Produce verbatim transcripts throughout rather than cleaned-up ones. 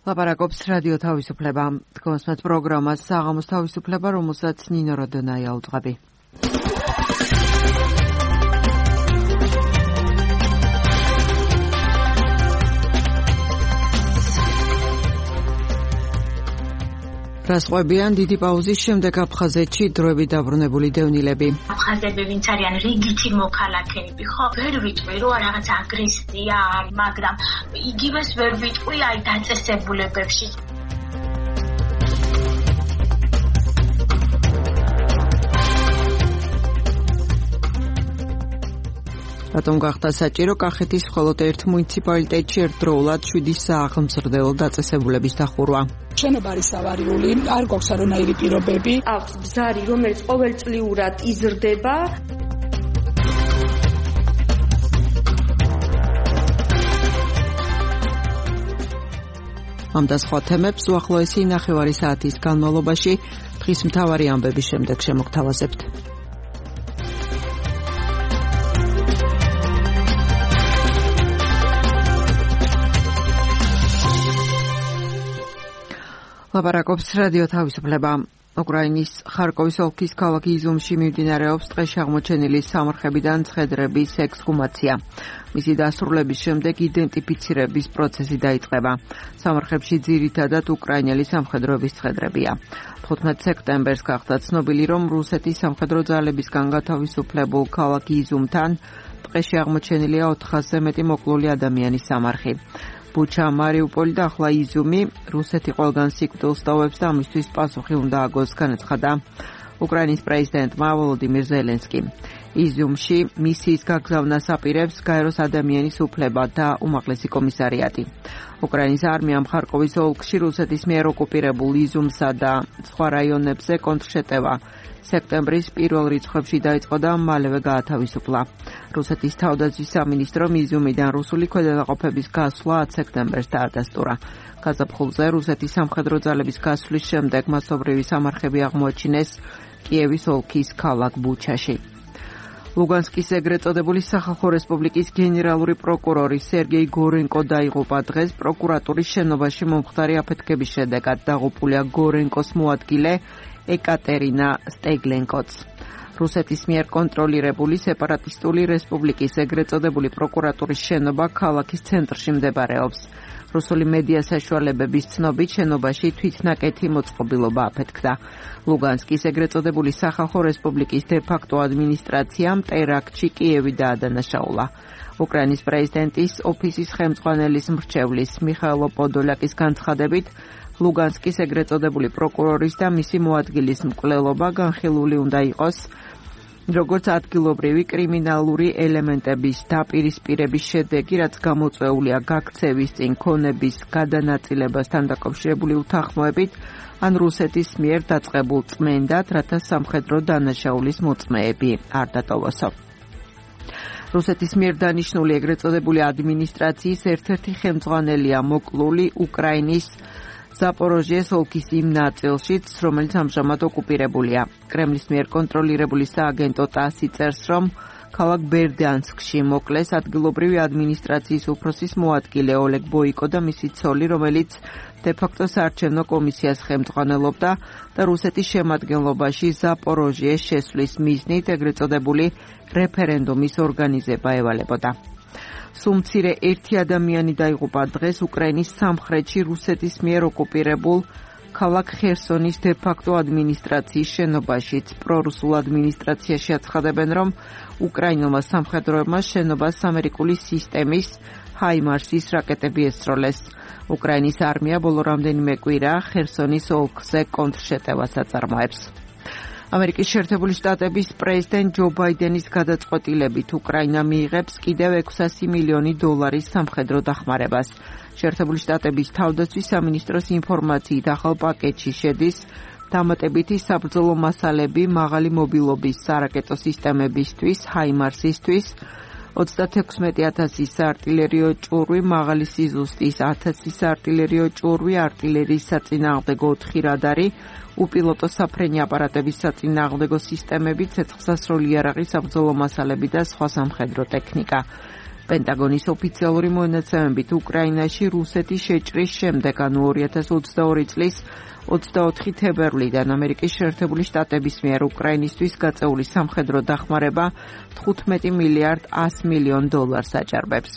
ლაპარაკობს რადიო თავისუფლება. თქვენს პროგრამას საღამოს თავისუფლება, რომელსაც ნინო როდონაია უძღვები. რას ყვებიან დიდი პაუზის შემდეგ აფხაზეთში დროებით დაბრუნებული დევნილები. აფხაზები ვინც არიან რიგითი მოქალაქეები, ხო? ვერ ვიტყვი რომ რაღაც აგრესია არის, მაგრამ იგივეს ვერ ვიტყვი აი დაწესებულებებში. რატომ გახდა საჭირო კახეთის მხოლოდ ერთ მუნიციპალიტეტში ერთდროულად შვიდი სააღმზრდელო დაწესებულების დახურვა? შენობა არის ავარიული, არ გვაქვს არანაირი პირობები. აქვს ბზარი, რომელიც ყოველწლიურად იზრდება. ამ და სხვა თემებს უახლოესი ნახევარი საათის განმავლობაში დღის მთავარი ამბების შემდეგ შემოგთავაზებთ. ლაპარაკობს რადიო თავისუფლება. უკრაინის ხარკოვის ოლქის ქალაქ იზიუმში მიმდინარეობს დღეს აღმოჩენილი სამარხებიდან ცხედრების ექსჰუმაცია. მისი დასრულების შემდეგ იდენტიფიცირების პროცესი დაიწყება. სამარხებში ძირითადად უკრაინელი სამხედროების ცხედრებია. თხუთმეტ სექტემბერს გახდა ცნობილი, რომ რუსეთის სამხედრო ძალებისგან გათავისუფლებულ ქალაქ იზიუმთან დღეში აღმოჩენილია ოთხასზე მეტი მოკლული ადამიანის სამარხი. ბუჩა, მარიუპოლი და ახლა იზიუმი რუსეთი ყველგან სიკვდილს ტოვებს და ამისთვის პასუხი უნდა აგოს, განაცხადა უკრაინის პრეზიდენტმა ვოლოდიმირ ზელენსკიმ. იზიუმში მისიის გაგზავნას აპირებს გაეროს ადამიანის უფლება და უმაღლესი კომისარიატი. უკრაინის არმიამ ხარკოვის ოლქში რუსეთის მიერ ოკუპირებულ იზიუმსა და სხვა რაიონებზე კონტრშეტევა სექტემბრის პირველ რიცხვებში დაიწყო და მალევე გაათავისუფლა. რუსეთის თავდაცვის სამინისტრომ იზიუმიდან რუსული ქვედანაყოფების გასვლა ათ სექტემბერს დაადასტურა. გაზაფხულზე რუსეთის სამხედრო ძალების გასვლის შემდეგ მასობრივი სამარხები აღმოაჩინეს კიევის ოლქის ქალაქ ბუჩაში. ლუგანსკის ეგრეთ წოდებული სახალხო რესპუბლიკის გენერალური პროკურორი სერგეი გორენკო დაიღუპა დღეს პროკურატურის შენობაში მომხდარი აფეთქების შედეგად. დაღუპულია გორენკოს მოადგილე ეკატერინა სტეგლენკოც. რუსეთის მიერ კონტროლირებული სეპარატისტული რესპუბლიკის ეგრეთ წოდებული პროკურატურის შენობა ქალაქის ცენტრში მდებარეობს. რუსული მედია საშუალებების ცნობით შენობაში თვითნაკეთი მოწყობილობა აფეთქდა. ლუგანსკის ეგრეთ წოდებული სახალხო რესპუბლიკის დე-ფაქტო ადმინისტრაციამ ტერაქტში კიევი დაადანაშაულა. უკრაინის პრეზიდენტის ოფისის ხელმძღვანელის მრჩევლის მიხაილო პოდოლაკის განცხადებით, ლუგანსკის ეგრეთ წოდებული პროკურორის და მისი მოადგილის მკვლელობა განხილული უნდა იყოს როგორც ადგილობრივი კრიმინალური ელემენტების დაპირისპირების შედეგი, რაც გამოწვეულია გაქცევის წინ ქონების გადანაწილებასთან დაკავშირებული უთანხმოებით, ან რუსეთის მიერ დაწყებულ წმენდად, რათა სამხედრო დანაშაულის მოწმეები არ დატოვოსო. რუსეთის მიერ დანიშნული ეგრეთ წოდებული ადმინისტრაციის ერთ-ერთი ხელმძღვანელია მოკლული უკრაინის ზაპოროჟიეს ოლქის იმ ნაწილშიც, რომელიც ამჟამად ოკუპირებულია. კრემლის მიერ კონტროლირებული სააგენტო ტასი წერს, რომ ქალაქ ბერდიანსკში მოკლეს ადგილობრივი ადმინისტრაციის უფროსის მოადგილე ოლეგ ბოიკო და მისი ცოლი, რომელიც დე-ფაქტო საარჩევნო კომისიას ხელმძღვანელობდა და რუსეთის შემადგენლობაში ზაპოროჟიეს შესვლის მიზნით ეგრეთ წოდებული რეფერენდუმის ორგანიზება ევალებოდა. სულ მცირე ერთი ადამიანი დაიღუპა დღეს უკრაინის სამხრეთში რუსეთის მიერ ოკუპირებულ ქალაქ ხერსონის დე-ფაქტო ადმინისტრაციის შენობაშიც. პრორუსულ ადმინისტრაციაში აცხადებენ, რომ უკრაინულმა სამხედროებმა შენობას ამერიკული სისტემის ჰაიმარსის რაკეტები ესროლეს. უკრაინის არმია ბოლო რამდენიმე კვირა ხერსონის ოლქზე კონტრშეტევას აწარმოებს. ამერიკის შეერთებული შტატების პრეზიდენტ ჯო ბაიდენის გადაწყვეტილებით უკრაინა მიიღებს კიდევ ექვსასი მილიონი დოლარის სამხედრო დახმარებას. შეერთებული შტატების თავდაცვის სამინისტროს ინფორმაციით ახალ პაკეტში შედის დამატებითი საბრძოლო მასალები მაღალი მობილობის სარაკეტო სისტემებისთვის, ჰაიმარსისთვის, ოცდათექვსმეტი ათასის საარტილერიო ჭურვი, მაღალი სიზუსტის ათასი საარტილერიო ჭურვი, არტილერიის საწინააღმდეგო ოთხი რადარი, უპილოტო საფრენი აპარატების საწინააღმდეგო სისტემები, ცეცხლსასროლი იარაღი, საბრძოლო მასალები და სხვა სამხედრო ტექნიკა. პენტაგონის ოფიციალური მონაცემებით უკრაინაში რუსეთის შეჭრის შემდეგ, ანუ ორი ათას ოცდაორი წლის ოცდაოთხი თებერვლიდან ამერიკის შეერთებული შტატების მიერ უკრაინისთვის გაწეული სამხედრო დახმარება თხუთმეტი მილიარდ ას მილიონ დოლარს აჭარბებს.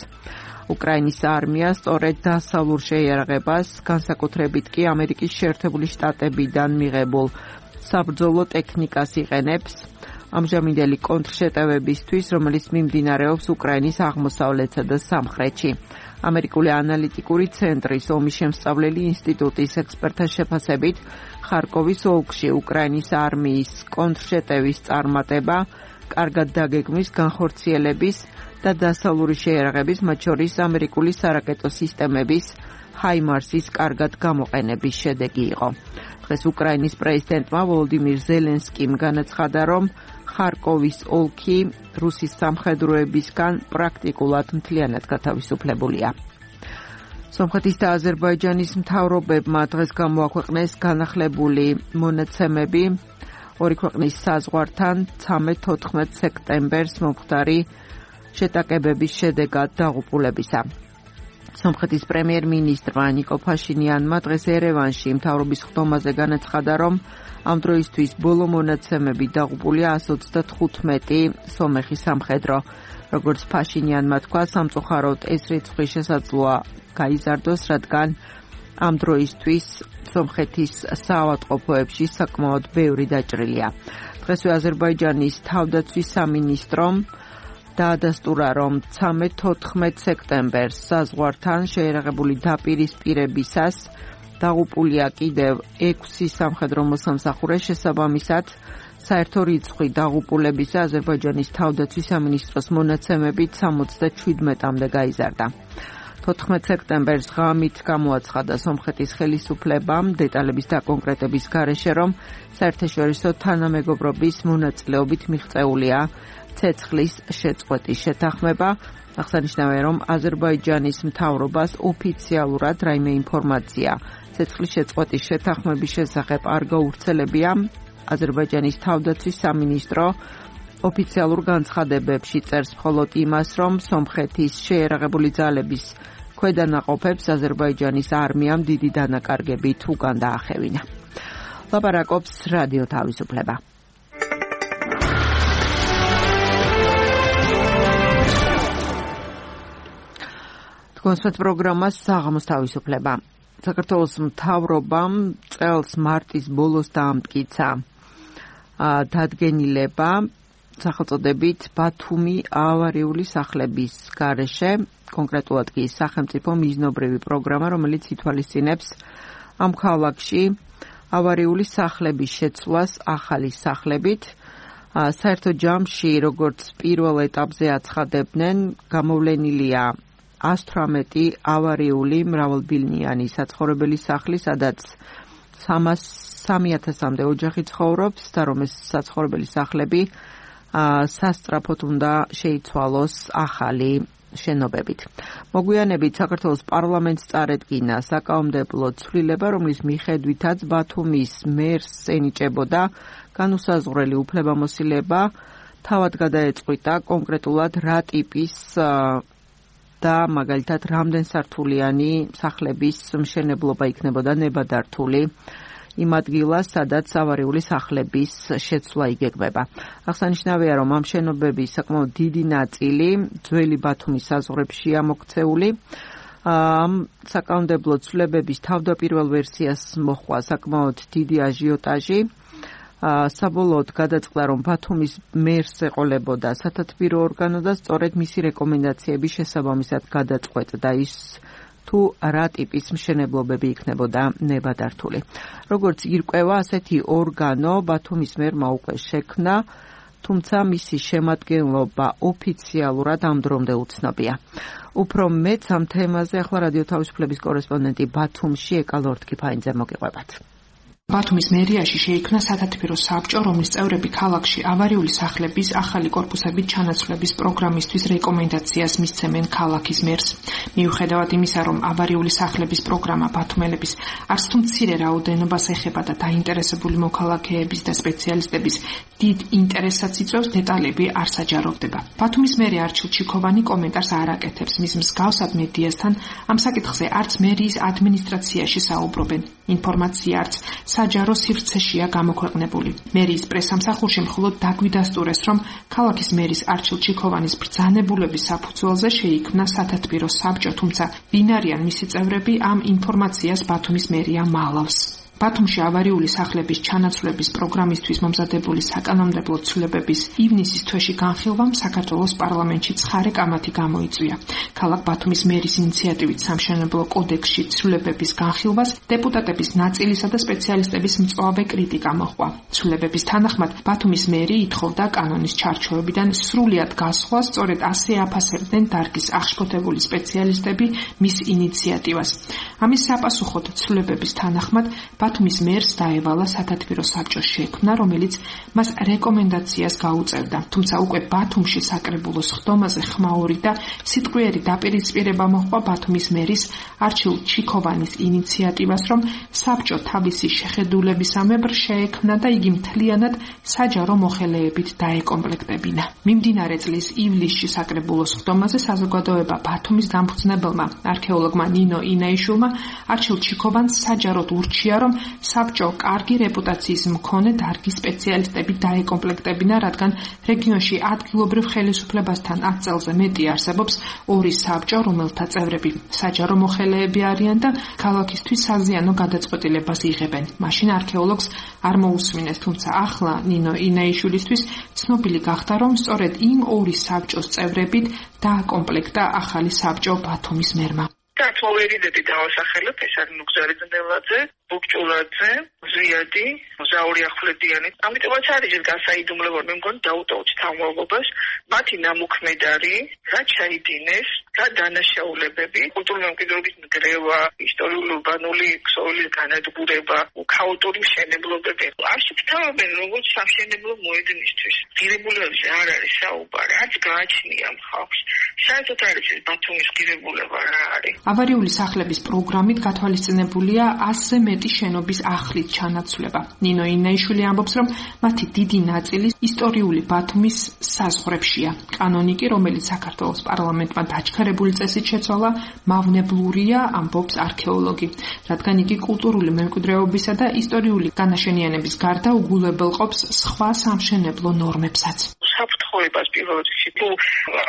უკრაინის არმია სწორედ დასავლურ შეიარაღებას, განსაკუთრებით კი ამერიკის შეერთებული შტატებიდან მიღებულ საბრძოლო ტექნიკას იყენებს ამჟამინდელი კონტრშეტევებისთვის, რომელიც მიმდინარეობს უკრაინის აღმოსავლეთსა და სამხრეთში. ამერიკული ანალიტიკური ცენტრის ომის შემსწავლელი ინსტიტუტის ექსპერტთა შეფასებით, ხარკოვის ოლქში უკრაინის არმიის კონტრშეტევის წარმატება, კარგად დაგეგმვის, განხორციელების და დასავლური შეიარაღების, მათ შორის ამერიკული სარაკეტო სისტემების ჰაიმარსის კარგად გამოყენების შედეგი იყო. დღეს უკრაინის პრეზიდენტმა ვოლოდიმირ ზელენსკიმ განაცხადა, რომ ხარკოვის ოლქი რუსის სამხედროებისგან პრაქტიკულად მთლიანად გათავისუფლებულია. სომხეთის და აზერბაიჯანის მთავრობებმა დღეს გამოაქვეყნეს განახლებული მონაცემები ორი ქვეყნის საზღვართან ცამეტ-თოთხმეტ სექტემბერს მომხდარი შეტაკებების შედეგად დაღუპულებისა. სომხეთის პრემიერ-მინისტრმა ნიკო ფაშინიანმა დღეს ერევანში მთავრობის ხდომაზე განაცხადა, რომ ამ დროისთვის ბოლო მონაცემები დაღუპულია ას ოცდათხუთმეტი სომეხი სამხედრო. როგორც ფაშინიანმა თქვა, სამწუხაროდ ეს რიცხვი შესაძლოა გაიზარდოს, რადგან ამ დროისთვის სომხეთის საავადმყოფოებში საკმაოდ ბევრი დაჭრილია. დღესვე აზერბაიჯანის თავდაცვის სამინისტრომ დაადასტურა, რომ ცამეტ-თოთხმეტ სექტემბერს საზღვართან შეიარაღებული დაპირისპირებისას დაღუპულია კიდევ ექვსი სამხედრო მოსამსახურე, შესაბამისად საერთო რიცხვი დაღუპულებისა აზერბაიჯანის თავდაცვის სამინისტროს მონაცემებით სამოცდაჩვიდმეტამდე გაიზარდა. თოთხმეტ სექტემბერს ღამით გამოაცხადა სომხეთის ხელისუფლებამ დეტალების დაკონკრეტების გარეშე, რომ საერთაშორისო თანამეგობრობის მონაწილეობით მიღწეულია ცეცხლის შეწყვეტის შეთანხმება. აღსანიშნავია, რომ აზერბაიჯანის მთავრობას ოფიციალურად რაიმე ინფორმაცია ცეცხლის შეწყვეტის შეთანხმების შესახებ არ გაუვრცელებია. აზერბაიჯანის თავდაცვის სამინისტრო ოფიციალურ განცხადებებში წერს მხოლოდ იმას, რომ სომხეთის შეიარაღებული ძალების ქვედანაყოფებს აზერბაიჯანის არმიამ დიდი დანაკარგებით უკან დაახევინა. ლაპარაკობს რადიო თავისუფლება. კონსერტ პროგრამას საღამოს თავისუფლება. საქართველოს მთავრობამ წელს მარტის ბოლოს დაამტკიცა დადგენილება სახელწოდებით ბათუმი ავარიული სახლების გარეშე, კონკრეტულად კი სახელმწიფო მიზნობრივი პროგრამა, რომელიც ითვალისწინებს ამ ქალაქში ავარიული სახლების შეცვლას ახალი სახლებით. საერთო ჯამში, როგორც პირველ ეტაპზე აცხადებდნენ, გამოვლენილია ას თვრამეტი ავარიული მრავალბილნიანი საცხოვრებელი სახლი, სადაც სამი ათასამდე ოჯახი ცხოვრობს და რომ ეს საცხოვრებელი სახლები სასწრაფოდ უნდა შეიცვალოს ახალი შენობებით. მოგვიანებით საქართველოს პარლამენტს წარედგინა საკანონმდებლო ცვლილება, რომლის მიხედვითაც ბათუმის მერს ენიჭებოდა განუსაზღვრელი უფლებამოსილება თავად გადაეწყვიტა კონკრეტულად რა ტიპის და მაგალითად რამდენ სართულიანი სახლების მშენებლობა იქნებოდა ნებადართული იმ ადგილას, სადაც ავარიული სახლების შეცვლა იგეგმება. აღსანიშნავია, რომ ამ შენობების საკმაოდ დიდი ნაწილი ძველი ბათუმის საზღვრებშია მოქცეული. ამ საკანონმდებლო ცვლილებების თავდაპირველ ვერსიას მოჰყვა საკმაოდ დიდი აჟიოტაჟი. საბოლოოდ გადაწყდა, რომ ბათუმის მერს ეყოლებოდა სათათბირო ორგანო და სწორედ მისი რეკომენდაციების შესაბამისად გადაწყვეტდა ის, თუ რა ტიპის მშენებლობები იქნებოდა ნებადართული. როგორც ირკვევა, ასეთი ორგანო ბათუმის მერმა უკვე შექმნა, თუმცა მისი შემადგენლობა ოფიციალურად ამ დრომდე უცნობია. უფრო მეც ამ თემაზე ახლა რადიო თავისუფლების კორესპონდენტი ბათუმში ეკალორდ კიფაინძე მოგიყვებათ. ბათუმის მერიაში შეიქმნა სათათბირო საბჭო, რომლის წევრები ქალაქში ავარიული სახლების ახალი კორპუსებით ჩანაცვლების პროგრამისთვის რეკომენდაციას მისცემენ ქალაქის მერს. მიუხედავად იმისა, რომ ავარიული სახლების პროგრამა ბათუმელების არც თუ მცირე რაოდენობას ეხება და დაინტერესებული მოქალაქეების და სპეციალისტების დიდ ინტერესსაც იწვევს, დეტალები არ საჯაროვდება. ბათუმის მერი არჩილ ჩიქოვანი კომენტარს არ აკეთებს. მის მსგავსად მედიასთან ამ საკითხზე არც მერიის ადმინისტრაციაში საუბრობენ. ინფორმაცია არც საჯარო სივრცეშია გამოქვეყნებული. მერიის პრესამსახურში მხოლოდ დაგვიდასტურეს, რომ ქალაქის მერის არჩილ ჩიქოვანის ბრძანებულების საფუძველზე შეიქმნა სათათბირო საბჭო, თუმცა ვინ არიან მისი წევრები, ამ ინფორმაციას ბათუმის მერია მალავს. ბათუმში ავარიული სახლების ჩანაცვლების პროგრამისთვის მომზადებული საკანონმდებლო ცვლილებების ივნისის თვეში განხილვამ საქართველოს პარლამენტში ცხარე კამათი გამოიწვია. ქალაქ ბათუმის მერის ინიციატივით სამშენებლო კოდექსში ცვლილებების განხილვას დეპუტატების ნაწილისა და სპეციალისტების მწვავე კრიტიკა მოჰყვა. ცვლილებების თანახმად ბათუმის მერი ითხოვდა კანონის ჩარჩოებიდან სრულად გასვლას, სწორედ ასე აფასებდნენ დარგის აღშფოთებული სპეციალისტები მის ინიციატივას. ამის საპასუხოდ ცვლილებების თანახმად ბათუმის მერს დაევალა სათათბირო საბჭოს შექმნა, რომელიც მას რეკომენდაციას გაუწევდა. თუმცა უკვე ბათუმში საკრებულოს ხდომაზე ხმაური და სიტყვიერი დაპირისპირება მოჰყვა ბათუმის მერის არჩილ ჩიქოვანის ინიციატივას, რომ საბჭო თავისი შეხედულებისამებრ შეექმნა და იგი მთლიანად საჯარო მოხელეებით დაეკომპლექტებინა. მიმდინარე წლის ივლისში საკრებულოს ხდომაზე საზოგადოება ბათუმის დამფუძნებელმა არქეოლოგმა ნინო ინაიშვილმა არჩილ ჩიქოვანს საჯაროდ ურჩია, რომ საბჭო კარგი რეპუტაციის მქონე დარგის სპეციალისტები დაეკომპლექტებინა, რადგან რეგიონში ადგილობრივ ხელისუფლებასთან ათ წელზე მეტი არსებობს ორი საბჭო, რომელთა წევრები საჯარო მოხელეები არიან და ქალაქისთვის საზიანო გადაწყვეტილებას იღებენ. მაშინ არქეოლოგს არ მოусმინეს, თუმცა ახლა ნინო ინაიშვილისთვის ცნობილი გახდა, რომ სწორედ იმ ორი საბჭოს წევრებით დააკომპლექტა ახალი საბჭო ბათუმის მერმა. მოვერიდები დავასახელებ, ეს არის ნუგზარი ძნელაძე, ბუქჭულაძე, ზვიადი, ზაური ახვლედიანი. ამიტომაც არის ეს გასაიდუმლო, მე მგონი დაუტოვოთ თავმოყობას, მათი ნამუქმედარი, რა ჩაიდინეს, რა დანაშაულებები, კულტურული მემკვიდრეობის ნგრევა, ისტორიულ-ურბანული ქსოვილის განადგურება, ქაოტური მშენებლობები. არ შეფთავებენ როგორც სამშენებლო მოედნისთვის. ღირებულებებზე არ არის საუბარი, არც გააჩნია ხალხს. საერთოდ არის ეს ბათუმის ღირებულება რა არის. ავარიული სახლების პროგრამით გათვალისწინებულია ასზე მეტი შენობის ახლით ჩანაცვლება. ნინო ინაიშვილი ამბობს, რომ მათი დიდი ნაწილი ისტორიული ბათუმის საზღვრებშია. კანონიკი, რომელიც საქართველოს პარლამენტმა დაჩქარებული წესით შეცვალა, მავნებლურია, ამბობს არქეოლოგი, რადგან იგი კულტურული მემკვიდრეობისა და ისტორიული განაშენიანების გარდა უგულებელყოფს სხვა სამშენებლო ნორმებსაც. საფრთხოებას პირველ რიგში თუ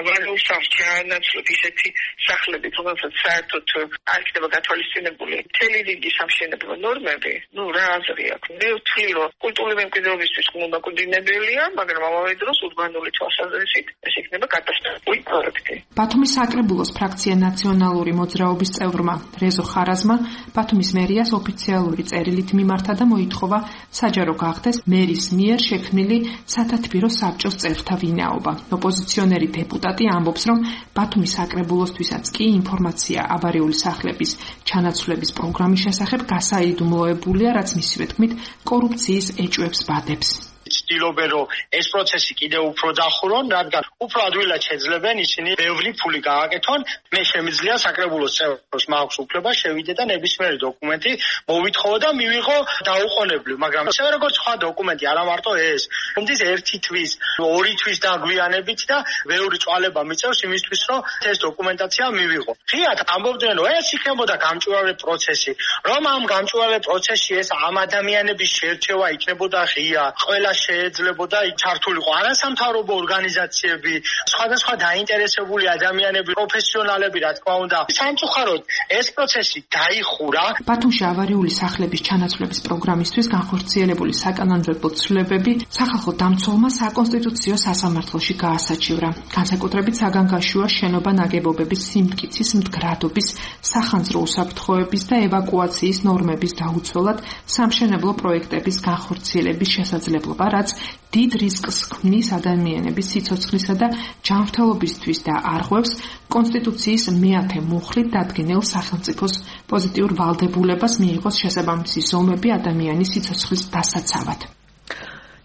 ავარიულ სამშენებლო ისეთი სახლები, რომელსაც საერთოდ არ იქნება გათვალისწინებული მთელი რიგი სამშენებლო ნორმები, ну რა აზრი აქვს? მე ვთვლი, რომ კულტურული მემკვიდრეობისთვის მომაკვდინებელია, მაგრამ ამავე დროს ურბანული თვალსაზრისით ეს იქნება კატასტროფული პროექტი. ბათუმის საკრებულოს ფრაქცია ნაციონალური მოძრაობის წევრმა რეზო ხარაზმა ბათუმის მერიას ოფიციალური წერილით მიმართა და მოითხოვა საჯარო გახდეს მერის მიერ შექმნილი სათათბირო საბჭოს წევრთა ვინაობა. ოპოზიციონერი დეპუტატი ამბობს, რომ ბათუმის საკრებულოსთვისაც კი ინფორმაცია ავარიული სახლების ჩანაცვლების პროგრამის შესახებ გასაიდუმლოებულია, რაც მისივე თქმით კორუფციის ეჭვებს ბადებს. ცდილობენ, რომ ეს პროცესი კიდევ უფრო დახურონ, რადგან უფრო ადვილად შეძლებენ ისინი ბევრი ფული გააკეთონ. მე შემიძლია საკრებულოს წევრს მაქვს უფლება შევიდე და ნებისმიერი დოკუმენტი მოვითხოვო და მივიღო დაუყოვნებლივ, მაგრამ ისე როგორც სხვა დოკუმენტი, არა მარტო ეს. მომდის ერთი თვის, ორი თვის დაგვიანებით და ბევრი წვალება მიწევს იმისთვის, რომ ეს დოკუმენტაცია მივიღო. ღიად ამბობდნენ, რომ ეს იქნებოდა გამჭვირვალე პროცესი, რომ ამ გამჭვირვალე პროცესში ეს ამ ადამიანების შერჩევა იქნებოდა ღია, ყველა შეეძლებოდა ჩართულიყო არასამთავრობო ორგანიზაციები, სხვადასხვა დაინტერესებული ადამიანები, პროფესიონალები, რა თქმა უნდა. სამწუხაროდ ეს პროცესი დაიხურა. ბათუმში ავარიული სახლების ჩანაცვლების პროგრამისთვის განხორციელებული საკანონმდებლო ცვლილებები სახალხო დამცველმა საკონსტიტუციო სასამართლოში გაასაჩივრა. განსაკუთრებით საგანგაშოა შენობა ნაგებობების სიმტკიცის, მდგრადობის, სახანძრო უსაფრთხოების და ევაკუაციის ნორმების დაუცველად სამშენებლო პროექტების განხორციელების შესაძლებლობა, რაც დიდ რისკს ქმნის ადამიანების სიცოცხლისა და ჯანმრთელობისთვის და არღვევს კონსტიტუციის მეათე მუხლით დადგენილ სახელმწიფოს პოზიტიურ ვალდებულებას მიიღოს შესაბამისი ზომები ადამიანის სიცოცხლის დასაცავად.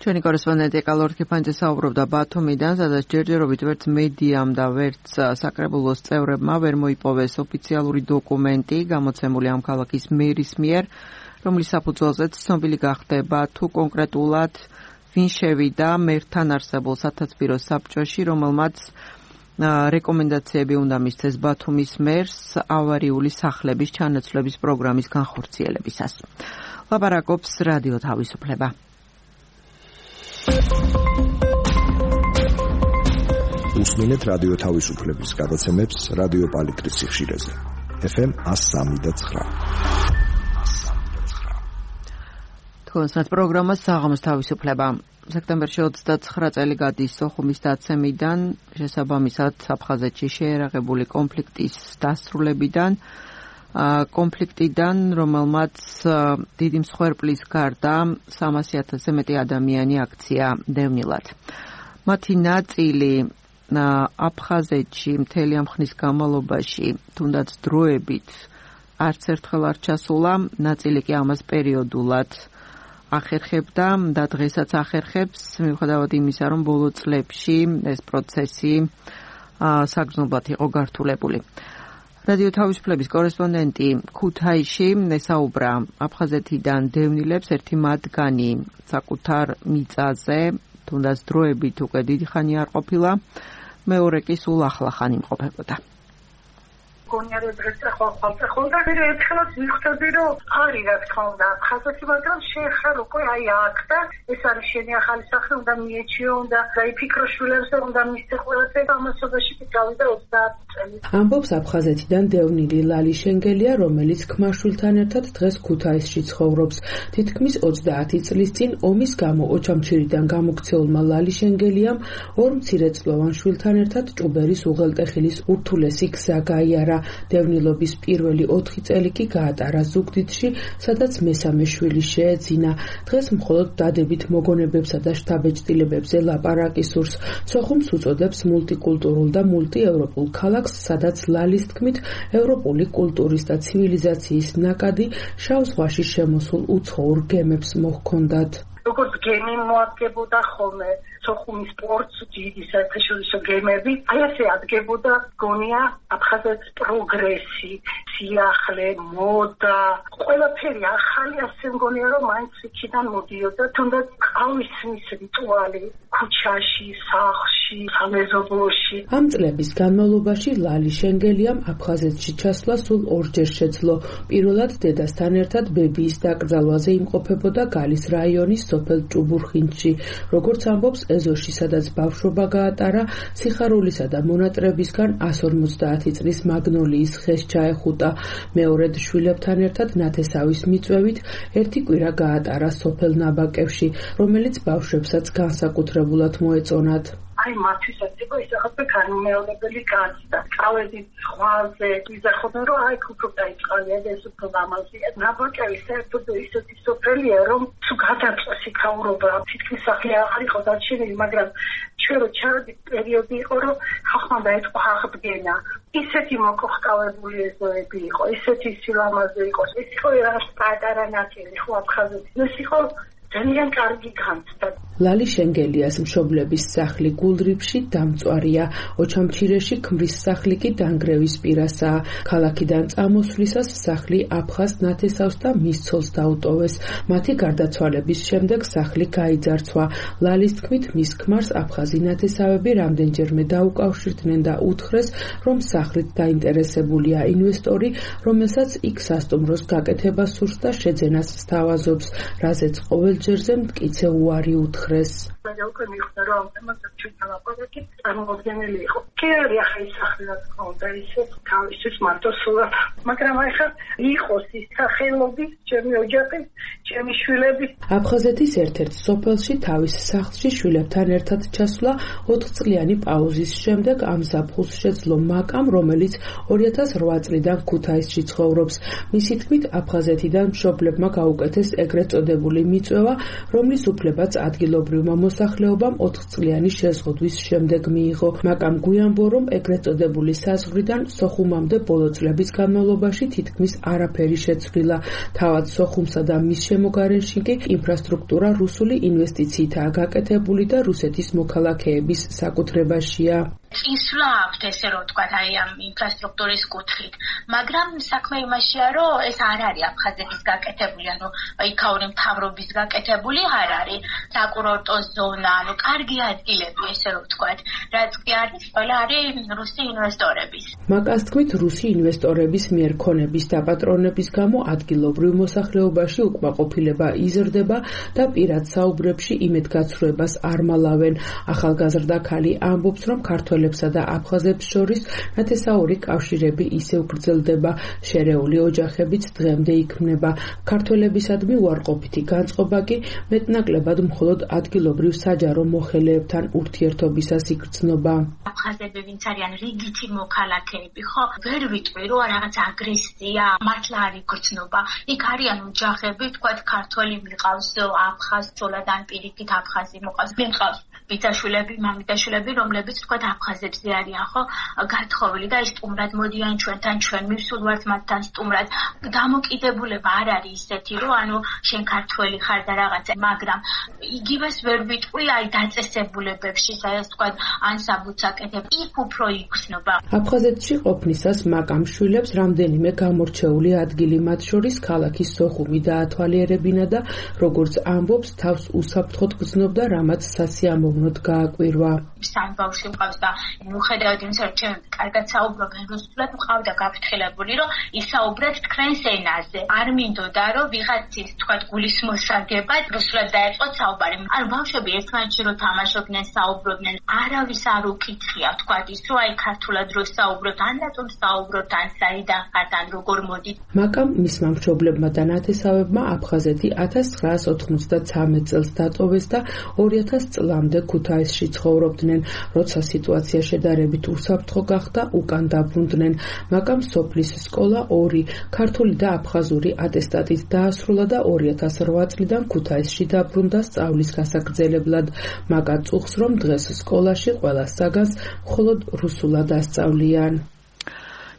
ჩვენი კორესპონდენტი კალორ კიფანძე საუბრობდა ბათუმიდან, სადაც ჯერჯერობით ვერც მედიამ და ვერც საკრებულოს წევრებმა ვერ მოიპოვეს ოფიციალური დოკუმენტი გამოცემული ამ ქალაქის მერის მიერ, რომლის საფუძველზეც ცნობილი გახდება თუ კონკრეტულად ვინ შევიდა მერთან არსებულ სათათბირო საბჭოში, რომელმაც რეკომენდაციები უნდა მისცეს ბათუმის მერს ავარიული სახლების ჩანაცვლების პროგრამის განხორციელებისას. ლაპარაკობს რადიო თავისუფლება. უსმენთ რადიო თავისუფლების გადაცემებს რადიო პალიტრის სიხშირეზე. ეფ ემ one oh three point nine. თქვენს პროგრამას საღამოს თავისუფლება. სექტემბერში ოცდაცხრა წელი გადის სოხუმის დაცემიდან, შესაბამისად აფხაზეთში შეერაღებული კონფლიქტის დასრულებიდან, კონფლიქტიდან, რომელმაც დიდი მსხვერპლის გარდა სამასი ათასზე მეტი ადამიანი აქცია დევნილად. მათი ნაწილი აფხაზეთში მთელი ამ ხნის განმავლობაში, თუნდაც დროებით, არც ერთხელ არ ჩასულა, ნაწილი კი ამას პერიოდულად ახერხებდა და დღესაც ახერხებს, მიუხედავად იმისა, რომ ბოლო წლებში ეს პროცესი საგრძნობლად იყო გართულებული. რადიო თავისუფლების კორესპონდენტი ქუთაისში ესაუბრა აფხაზეთიდან დევნილებს, ერთი მათგანი საკუთარ მიწაზე, თუნდაც დროებით უკვე დიდი ხანი არ ყოფილა, მეორე კი სულ ახლახან იმყოფებოდა. გონიარე დღეს ახლა ხალხა და ერთხელაც ვიხდები რომ არის რა თქმა უნდა ხალხი მაგრამ შეეხარ უკვე აი აქ და ეს არის შენი ახალი სახლი უნდა მიეჩიო უნდა დაიფიქრო შვილებს და უნდა მისცე ყველაფერი ამასობაში კი გავიდა ოცდაათი წელი. ამბობს აფხაზეთიდან დევნილი ლალი შენგელია, რომელიც ქმარშვილთან ერთად დღეს ქუთაისში ცხოვრობს. თითქმის ოცდაათი წლის წინ ომის გამო ოჩამჩირიდან გამოქცეულმა ლალი შენგელიამ ორ მცირეწლოვან შვილთან ერთად ჭუბერის უღელტეხილის ურთულესი გზა გაიარა. დევნილობის პირველი ოთხი წელი კი გაატარა ზუგდიდში, სადაც მესამე შვილი შეეძინა. დღეს მხოლოდ დადებით მოგონებებსა და შთაბეჭდილებებზე ლაპარაკი სურს. სოხუმს უწოდებს მულტიკულტურულ და მულტიევროპულ ქალაქს, სადაც ლალის თქმით ევროპული კულტურის და ცივილიზაციის ნაკადი შავ ზღვაში შემოსულ უცხოურ გემებს მოჰქონდათ. როგორც გემი მოადგებოდა ხოლმე სოხუმის პორტს დიდი საერთაშორისო გემები, აი ასე ადგებოდა გონია აფხაზეთის პროგრესი, სიახლე, მოდა, ყველაფერი ახალი ასე მგონია რომ მაინც იქიდან მოდიოდა, თუნდაც ყავისმის რიტუალი ქუჩაში, სახლში, სამეზობლოში. ამ წლების განმავლობაში ლალი შენგელიამ აფხაზეთში ჩასვლა სულ ორჯერ შეძლო. პირველად დედასთან ერთად ბებიის დაკრძალვაზე იმყოფებოდა გალის რაიონის სოფელ ჭუბურხინში. როგორც ამბობს ეზოში, სადაც ბავშვობა გაატარა, სიხარულისა და მონატრებისგან one forty წლის მაგნოლიის ხეს ჩაეხუტა. მეორედ შვილებთან ერთად ნათესავის მიწვევით ერთი კვირა გაატარა სოფელ ნაბაკევში, რომელიც ბავშვებსაც განსაკუთრებულად მოეწონათ. აი მათვისაც იყო ისახება განმეორებელი გაზდა. წავედი ზღვაზე, ვიზახობენ რომ აი უფრო დაიწყალია და ეს უფრო ლამაზია. ნაბაკევი საერთოდ ისეთი სოფელია, რომ თუ გადაწყვეტს იქაურობა, თითქმის სახლი აღარ იყო დარჩენილი, მაგრამ ჩვენ რო ჩავედით პერიოდი იყო, რომ ხახმა დაიწყო აღდგენა. ისეთი მოკოხკავებული ეზოები იყო, ისეთი სილამაზე იყო. ეს იყო რაღაც პატარა ნაწილი ხო აფხაზეთის. ეს იყო ძალიან კარგი განცდა. ლალი შენგელიას მშობლების სახლი გულრიფში დამწვარია, ოჩამჩირეში ქმრის სახლი კი დანგრევის პირასაა. ქალაქიდან წამოსვლისას სახლი აფხაზ ნათესავს და მის ცოლს დაუტოვეს. მათი გარდაცვალების შემდეგ სახლი გაიძარცვა. ლალის თქმით, მის ქმარს აფხაზი ნათესავები რამდენჯერმე დაუკავშირდნენ და უთხრეს, რომ სახლით დაინტერესებულია ინვესტორი, რომელსაც იქ სასტუმროს გაკეთება სურს და შეძენას სთავაზობს, რაზეც ყოველ ჯერზე მტკიცე უარი უთხრეს. და უკვე მიხვდა რომ ამაზე ჩვენ ლაპარაკი წარმოუდგენელი იყო. კი არის ახლა ის სახლი რაც კონდა ისე თავისთვის მარტო სულად, მაგრამ ახლა იყოს ის სახელობის ჩემი ოჯახი, ჩემი შვილები. აფხაზეთის ერთ-ერთ სოფელში თავის სახლში შვილებთან ერთად ჩასვლა ოთხწლიანი პაუზის შემდეგ ამ ზაფხულს შეძლო მაკამ, რომელიც ორი ათას რვა წლიდან ქუთაისში ცხოვრობს. მისი თქმით, აფხაზეთიდან მშობლებმა გაუკეთეს ეგრეთ წოდებული მიწვევა კვლევა, რომლის უფლებაც ადგილობრივმა მოსახლეობამ ოთხწლიანი შეზღუდვის შემდეგ მიიღო. მაკამ გვიანბო, რომ ეგრეთ წოდებული საზღვრიდან სოხუმამდე ბოლო წლების განმავლობაში თითქმის არაფერი შეცვლილა. თავად სოხუმსა და მის შემოგარენში კი ინფრასტრუქტურა რუსული ინვესტიციითაა გაკეთებული და რუსეთის მოქალაქეების საკუთრებაშია. ისვლა აქვთ ესე რომ თქვა აი ამ ინფრასტრუქტურის კუთხით, მაგრამ საქმე იმაშია რომ ეს არ არის აფხაზეთის გაკეთებული, ანუ იქაური მთავრობის გაკეთებული არ არის, საკურორტო ზონა, ანუ კარგი ადგილები ესე რომ თქვა, რაც კი არის, ყველა არის რუსი ინვესტორების. მაკას თქმით, რუსი ინვესტორების მიერ ქონების დაპატრონების გამო ადგილობრივ მოსახლეობაში უკმაყოფილება იზრდება და პირად საუბრებში იმედგაცრუებას არ მალავენ. ახალგაზრდა ქალი ამბობს, რომ ქართველ და აფხაზებს შორის ნათესაური კავშირები ისევ გრძელდება, შერეული ოჯახებიც დღემდე იქმნება. ქართველებისადმი უარყოფითი განწყობა კი მეტნაკლებად მხოლოდ ადგილობრივ საჯარო მოხელეებთან ურთიერთობისას იგრძნობა. აფხაზები ვინც არიან რიგითი მოქალაქეები, ხო, ვერ ვიტყვი რომ რაღაც აგრესია, მართლა არის გრძნობა. იქ არიან ოჯახები, თქვათ ქართველი მიყავს, აფხაზ ცოლადან პირიქით აფხაზი მოყავს, მიყავს ბიძაშვილები, მამიდაშვილები, რომლებიც თქვათ აფხაზებზე არიან, ხო, გათხოვილი და სტუმრად მოდიან ჩვენთან, ჩვენ მივსულვართ მათთან სტუმრად. დამოკიდებულება არ არის ისეთი, რომ ანუ შენ ქართველი ხარ და რაღაცა, მაგრამ იგივეს ვერ ვიტყვი აი დაწესებულებებში, სადაც თქვათ ან საბუთს აკეთებ, იქ უფრო იგრძნობა. აფხაზეთში ყოფნისას მაკამ შვილებს რამდენიმე გამორჩეული ადგილი, მათ შორის ქალაქის სოხუმი დაათვალიერებინა და როგორც ამბობს, თავს უსაფრთხოდ გრძნობდა, რამაც სასიამოვნოდ გააკვირვა. სამი ბავშვი მყავს და მიუხედავად იმისა, რომ ჩემ კარგად საუბრობენ რუსულად, მყავდა გაფრთხილებული, რომ ისაუბრეთ თქვენს ენაზე. არ მინდოდა, რომ ვიღაცის თქვათ გულის მოსაგებად რუსულად დაეწყოთ საუბარი. ანუ ბავშვები ერთმანეთში რომ თამაშობდნენ, საუბრობდნენ, არავის არ უკითხია თქვათ ის, რომ აი ქართულად რო საუბრობთ, ან რატომ საუბრობთ, ან საიდან ხართ, ან როგორ მოდით. მაკამ მისმა მშობლებმა და ნათესავებმა აფხაზეთი ათას ცხრაას ოთხმოცდათრამეტ წელს დატოვეს და ორი ათას წლამდე ქუთაისში ცხოვრობდნენ. როცა სიტუაცია შედარებით უსაფრთხო გახდა, უკან დაბრუნდნენ. მაკამ სოფლის სკოლა ორი ქართული და აფხაზური ატესტატით დაასრულა და ორი ათას რვა წლიდან ქუთაისში დაბრუნდა სწავლის გასაგრძელებლად. მაკა წუხს, რომ დღეს სკოლაში ყველა საგანს მხოლოდ რუსულად ასწავლიან.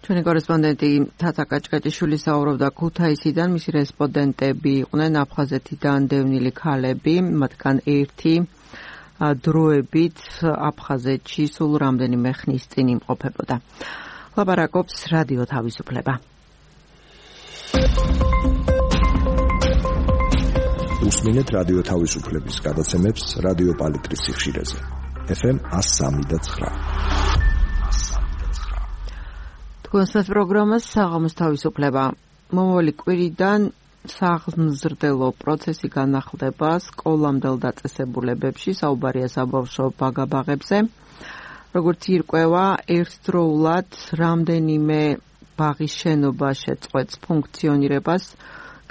ჩვენი კორესპონდენტი თათა კაჭკაჭიშვილი საუბრობდა ქუთაისიდან, მისი რესპონდენტები იყვნენ აფხაზეთიდან დევნილი ქალები, მათგან ერთი დროებით აფხაზეთში სულ რამდენიმე ხნის წინ იმყოფებოდა. ლაპარაკობს რადიო თავისუფლება. უსმინეთ რადიო თავისუფლების გადაცემებს რადიო პალიტრის სიხშირეზე. ეფ ემ ას სამი და ცხრა. თქვენს პროგრამას საღამოს თავისუფლება. მომავალი კვირიდან საღმზრდელო პროცესი განახლდება სკოლამდელ დაწესებულებებში, საუბარია საბავშვო ბაგაბაღებზე. როგორც ირკვევა, ერთდროულად რამდენიმე ბაღის შენობა შეწყვეტს ფუნქციონირებას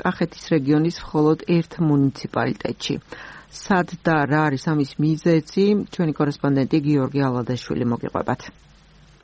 კახეთის რეგიონის მხოლოდ ერთ მუნიციპალიტეტში. სად და რა არის ამის მიზეზი, ჩვენი კორესპონდენტი გიორგი ალადაშვილი მოგიყვებათ.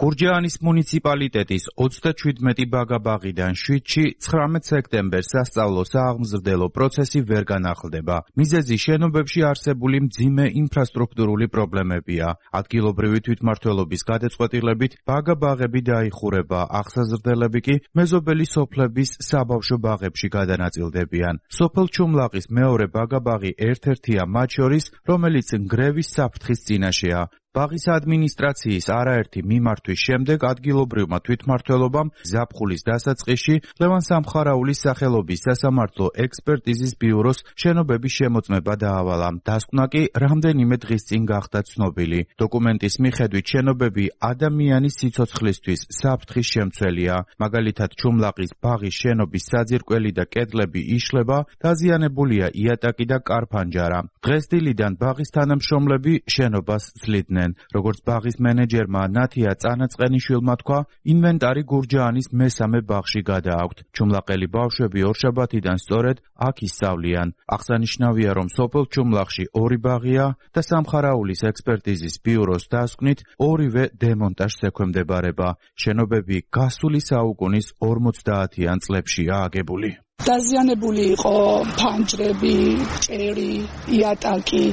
გურჯაანის მუნიციპალიტეტის ოცდაჩვიდმეტი ბაგაბაღიდან შვიდში ცხრამეტ სექტემბერს სასწავლო სააღმზრდელო პროცესი ვერ განახლდება. მიზეზი შენობებში არსებული მძიმე ინფრასტრუქტურული პრობლემებია. ადგილობრივი თვითმმართველობის გადაწყვეტილებით ბაგაბაღები დაიხურება, აღსაზრდელები კი მეზობელი სოფლების საბავშვო ბაღებში გადანაწილდებიან. სოფელ ჩუმლაყის მეორე ბაგაბაღი ერთ-ერთია მათ შორის, რომელიც ნგრევის საფრთხის წინაშეა. ბაღის ადმინისტრაციის არაერთი მიმართვის შემდეგ ადგილობრივმა თვითმმართველობამ ზაფხულის დასაწყისში ლევან სამხარაულის სახელობის სასამართლო ექსპერტიზის ბიუროს შენობების შემოწმება დაავალა. დასკვნა კი რამდენიმე დღის წინ გახდა ცნობილი. დოკუმენტის მიხედვით შენობები ადამიანის სიცოცხლისთვის საფრთხის შემცველია. მაგალითად, ჩუმლაყის ბაღის შენობის საძირკველი და კედლები იშლება, დაზიანებულია იატაკი და კარფანჯარა. დღეს დილიდან ბაღის თანამშრომლები შენობას ძლიდნენ. როგორც ბაღის მენეჯერმა ნათია წანაწყენიშვილმა თქვა, ინვენტარი გურჯაანის მესამე ბაღში გადააქვთ. ჩუმლაყელი ბავშვები ორშაბათიდან სწორედ აქ ისწავლიან. აღსანიშნავია, რომ სოფელ ჩუმლაყში ორი ბაღია და სამხარაულის ექსპერტიზის ბიუროს დასკვნით ორივე დემონტაჟს ექვემდებარება. შენობები გასული საუკუნის ორმოცდაათიან წლებშია აგებული. დაზიანებული იყო ფანჯრები, ჭერი, იატაკი,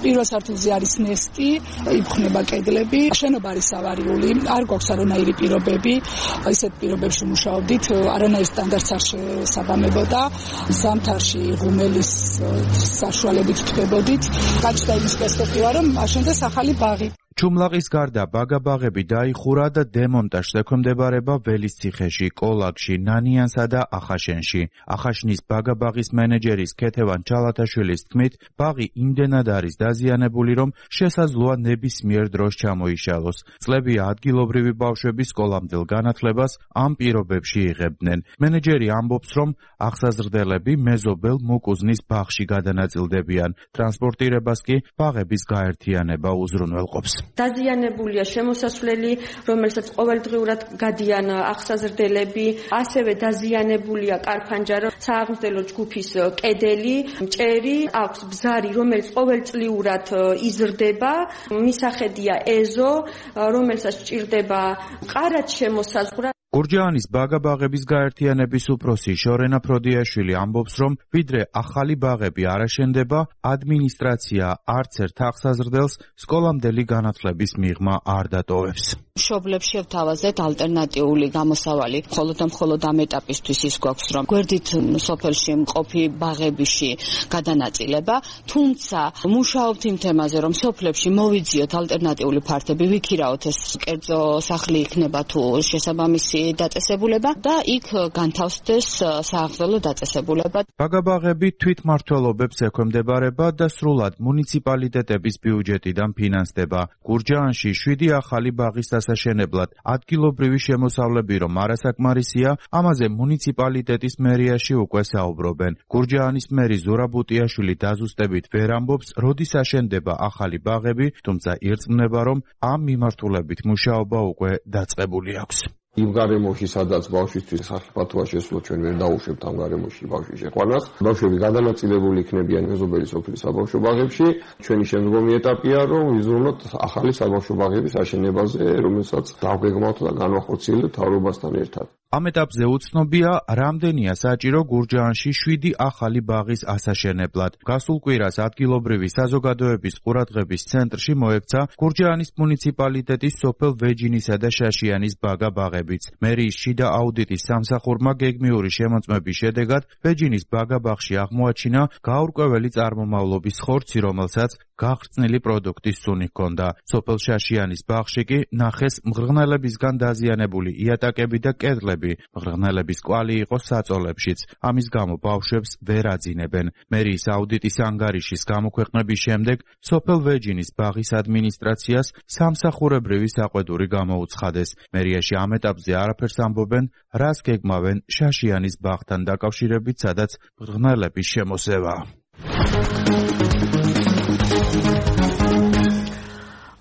პირველ სართულზე არის ნესტი, იფხნება კედლები, შენობა არის ავარიული, არ გვაქვს არანაირი პირობები, ისეთ პირობებში მუშაობდით, არანაირ სტანდარტს არ შესაბამებოდა, ზამთარში ღუმელის საშუალებით ვთქვებოდით, გაჩნდა იმის პერსპექტივა, რომ აშენდეს ახალი ბაღი. ჩუმლაყის გარდა ბაგა-ბაღები დაიხურა და დემონტაჟს ექვემდებარება ველისციხეში, კოლაგში, ნანიანსა და ახაშენში. ახაშნის ბაგა-ბაღის მენეჯერის ქეთევან ჩალათაშვილის თქმით, ბაღი იმდენად არის დაზიანებული, რომ შესაძლოა ნებისმიერ დროს ჩამოიშალოს. წლებია ადგილობრივი ბავშვები სკოლამდელ განათლებას ამ პირობებში იღებდნენ. მენეჯერი ამბობს, რომ აღსაზრდელები მეზობელ მუკუზნის ბაღში გადანაწილდებიან. ტრანსპორტირებას კი ბაღების გაერთიანება უზრუნველყოფს. დაზიანებულია შემოსასვლელი, რომელსაც ყოველდღიურად გადიან აღსაზრდელები, ასევე დაზიანებულია კარფანჯარა, სააღმრთელო ჯგუფის კედელი, ჭერი, აქვს ბზარი, რომელიც ყოველწლიურად იზრდება, მისახედია ეზო, რომელსაც სჭირდება ყარად შემოსაზღვრა. გურჯაანის ბაგა-ბაღების გაერთიანების უფროსი შორენა ფროდიაშვილი ამბობს, რომ ვიდრე ახალი ბაღები არ აშენდება, ადმინისტრაცია არც ერთ აღსაზრდელს სკოლამდელი განათლების მიღმა არ დატოვებს. მშობლებს შევთავაზეთ ალტერნატიული გამოსავალი, მხოლოდ და მხოლოდ ამ ეტაპისთვის ის გვაქვს, რომ გვერდით სოფელში მყოფი ბაღებიში გადანაწილება, თუმცა მუშაობთ იმ თემაზე, რომ სოფლებში მოვიძიოთ ალტერნატიული ფართები, ვიქირაოთ ეს კერძო სახლი იქნება თუ შესაბამისი დაწესებულება და იქ განთავსდეს სააღმრთელო დაწესებულება. ბაგა-ბაღები თვითმმართველობებს ექვემდებარება და სრულად მუნიციპალიტეტების ბიუჯეტიდან ფინანსდება. გურჯაანში შვიდი ახალი ბაღის დასაშენებლად ადგილობრივი შემოსავლები რომ არასაკმარისია, ამაზე მუნიციპალიტეტის მერიაში უკვე საუბრობენ. გურჯაანის მერი ზურაბ უტიაშვილი დაზუსტებით ვერ ამბობს, როდის აშენდება ახალი ბაღები, თუმცა ირწმუნება, რომ ამ მიმართულებით მუშაობა უკვე დაწყებული აქვს. იმ გარემოში, სადაც ბავშვისთვის სახელმწიფოა შესულო, ჩვენ ვერ დაუშვებთ ამ გარემოში ბავშვის შეყვანას. ბავშვები გადანაწილებული იქნებიან მეზობელი სოფლის საბავშვო ბაღებში. ჩვენი შემდგომი ეტაპია, რომ ვიზრუნოთ ახალი საბავშვო ბაღების აშენებაზე, რომელსაც დავგეგმავთ და განვახორციელებთ მთავრობასთან ერთად. ამ ეტაპზე უცნობია, რამდენია საჭირო გურჯაანში შვიდი ახალი ბაღის ასაშენებლად. გასულ კვირას ადგილობრივი საზოგადოების ყურადღების ცენტრში მოექცა გურჯაანის მუნიციპალიტეტის სოფელ ვეჯინისა და შაშიანის ბაგა-ბაღებიც. მერიის შიდა აუდიტის სამსახურმა გეგმიური შემოწმების შედეგად ვეჯინის ბაგა-ბაღში აღმოაჩინა გაურკვეველი წარმომავლობის ხორცი, რომელსაც გახრწნილი პროდუქტის სუნი ჰქონდა. სოფელ შაშიანის ბაღში კი ნახეს მღრღნელებისგან დაზიანებული იატაკები და კედლები. მღრღნელების კვალი იყო საწოლებშიც. ამის გამო ბავშვებს ვერ აძინებენ. მერიის აუდიტის ანგარიშის გამოქვეყნების შემდეგ სოფელ ვეჯინის ბაღის ადმინისტრაციას სამსახურებრივი საყვედური გამოუცხადეს. მერიაში ამ ეტაპზე არაფერს ამბობენ, რას გეგმავენ შაშიანის ბაღთან დაკავშირებით, სადაც მღრღნელების შემოსევაა.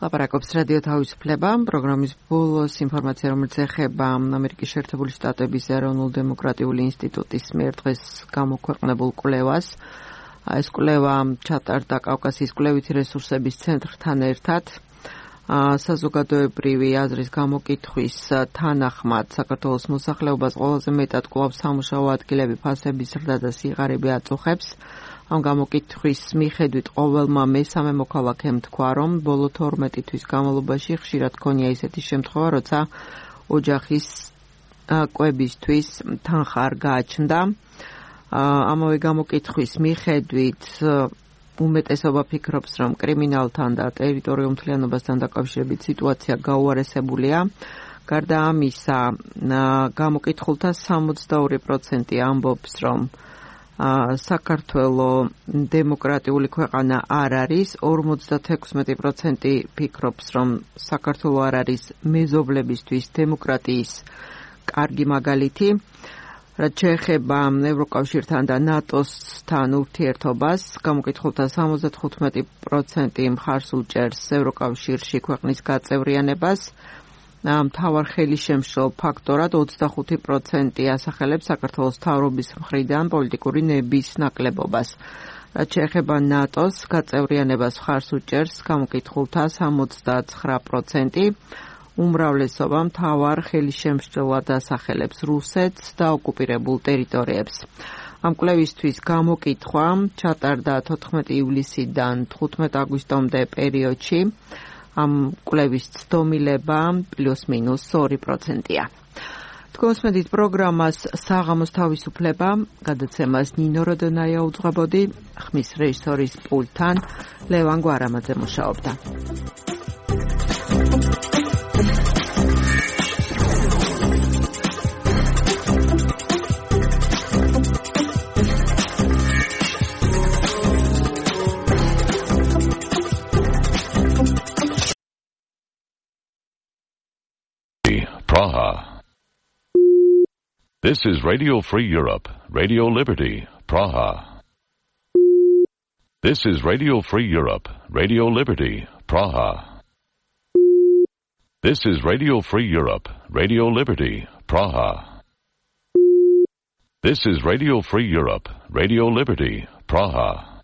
ლაპარაკობს რადიო თავისუფლება, პროგრამის ბოლოს ინფორმაცია, რომელიც ეხება ამერიკის შეერთებული შტატების ეროვნულ-დემოკრატიული ინსტიტუტის მიერ დღეს გამოქვეყნებულ კვლევას. ეს კვლევა ჩატარდა კავკასიის კვლევითი რესურსების ცენტრთან ერთად. საზოგადოებრივი აზრის გამოკითხვის თანახმად საქართველოს მოსახლეობას ყველაზე მეტად კვლავ სამუშაო ადგილები, ფასების ზრდა და სიღარიბე აწუხებს. ამ გამოკითხვის მიხედვით ყოველმა მესამე მოქალაქემ თქვა, რომ ბოლო თორმეტი თვის განმავლობაში ხშირად ქონია ისეთი შემთხვევა, როცა ოჯახის კვებისთვის თანხა არ გააჩნდა. ამავე გამოკითხვის მიხედვით უმეტესობა ფიქრობს, რომ კრიმინალთან და ტერიტორიულ მთლიანობასთან დაკავშირებით სიტუაცია გაუარესებულია. გარდა ამისა, გამოკითხულთა სამოცდაორი პროცენტი ამბობს, რომ საქართველო დემოკრატიული ქვეყანა არ არის, ორმოცდათექვსმეტი პროცენტი ფიქრობს, რომ საქართველო არ არის მეზობლებისთვის დემოკრატიის კარგი მაგალითი. რაც შეეხება ევროკავშირთან და ნატოსთან ურთიერთობას, გამოკითხულთა სამოცდათხუთმეტი პროცენტი მხარს უჭერს ევროკავშირში ქვეყნის გაწევრიანებას. მთავარ ხელისშემშლელ ფაქტორად ოცდახუთი პროცენტი ასახელებს საქართველოს მთავრობის მხრიდან პოლიტიკური ნების ნაკლებობას. რაც შეეხება ნატოს გაწევრიანებას მხარს უჭერს გამოკითხულთა სამოცდაცხრა პროცენტი. უმრავლესობა მთავარ ხელისშემშლელად ასახელებს რუსეთს და ოკუპირებულ ტერიტორიებს. ამ კვლევისთვის გამოკითხვა ჩატარდა თოთხმეტი ივლისიდან თხუთმეტი აგვისტომდე პერიოდში. ამ კვლევის ცდომილება პლუს მინუს ორი პროცენტია. თქვენსმენთ პროგრამას საღამოს თავისუფლება გადაცემას ნინო როდონაია უძღვებოდი, ხმის რეჟისორის პულტთან ლევან გვარამაძე მუშაობდა. Praha. This is Radio Free Europe, Radio Liberty, Praha. This is Radio Free Europe, Radio Liberty, Praha. This is Radio Free Europe, Radio Liberty, Praha. This is Radio Free Europe, Radio Liberty, Praha.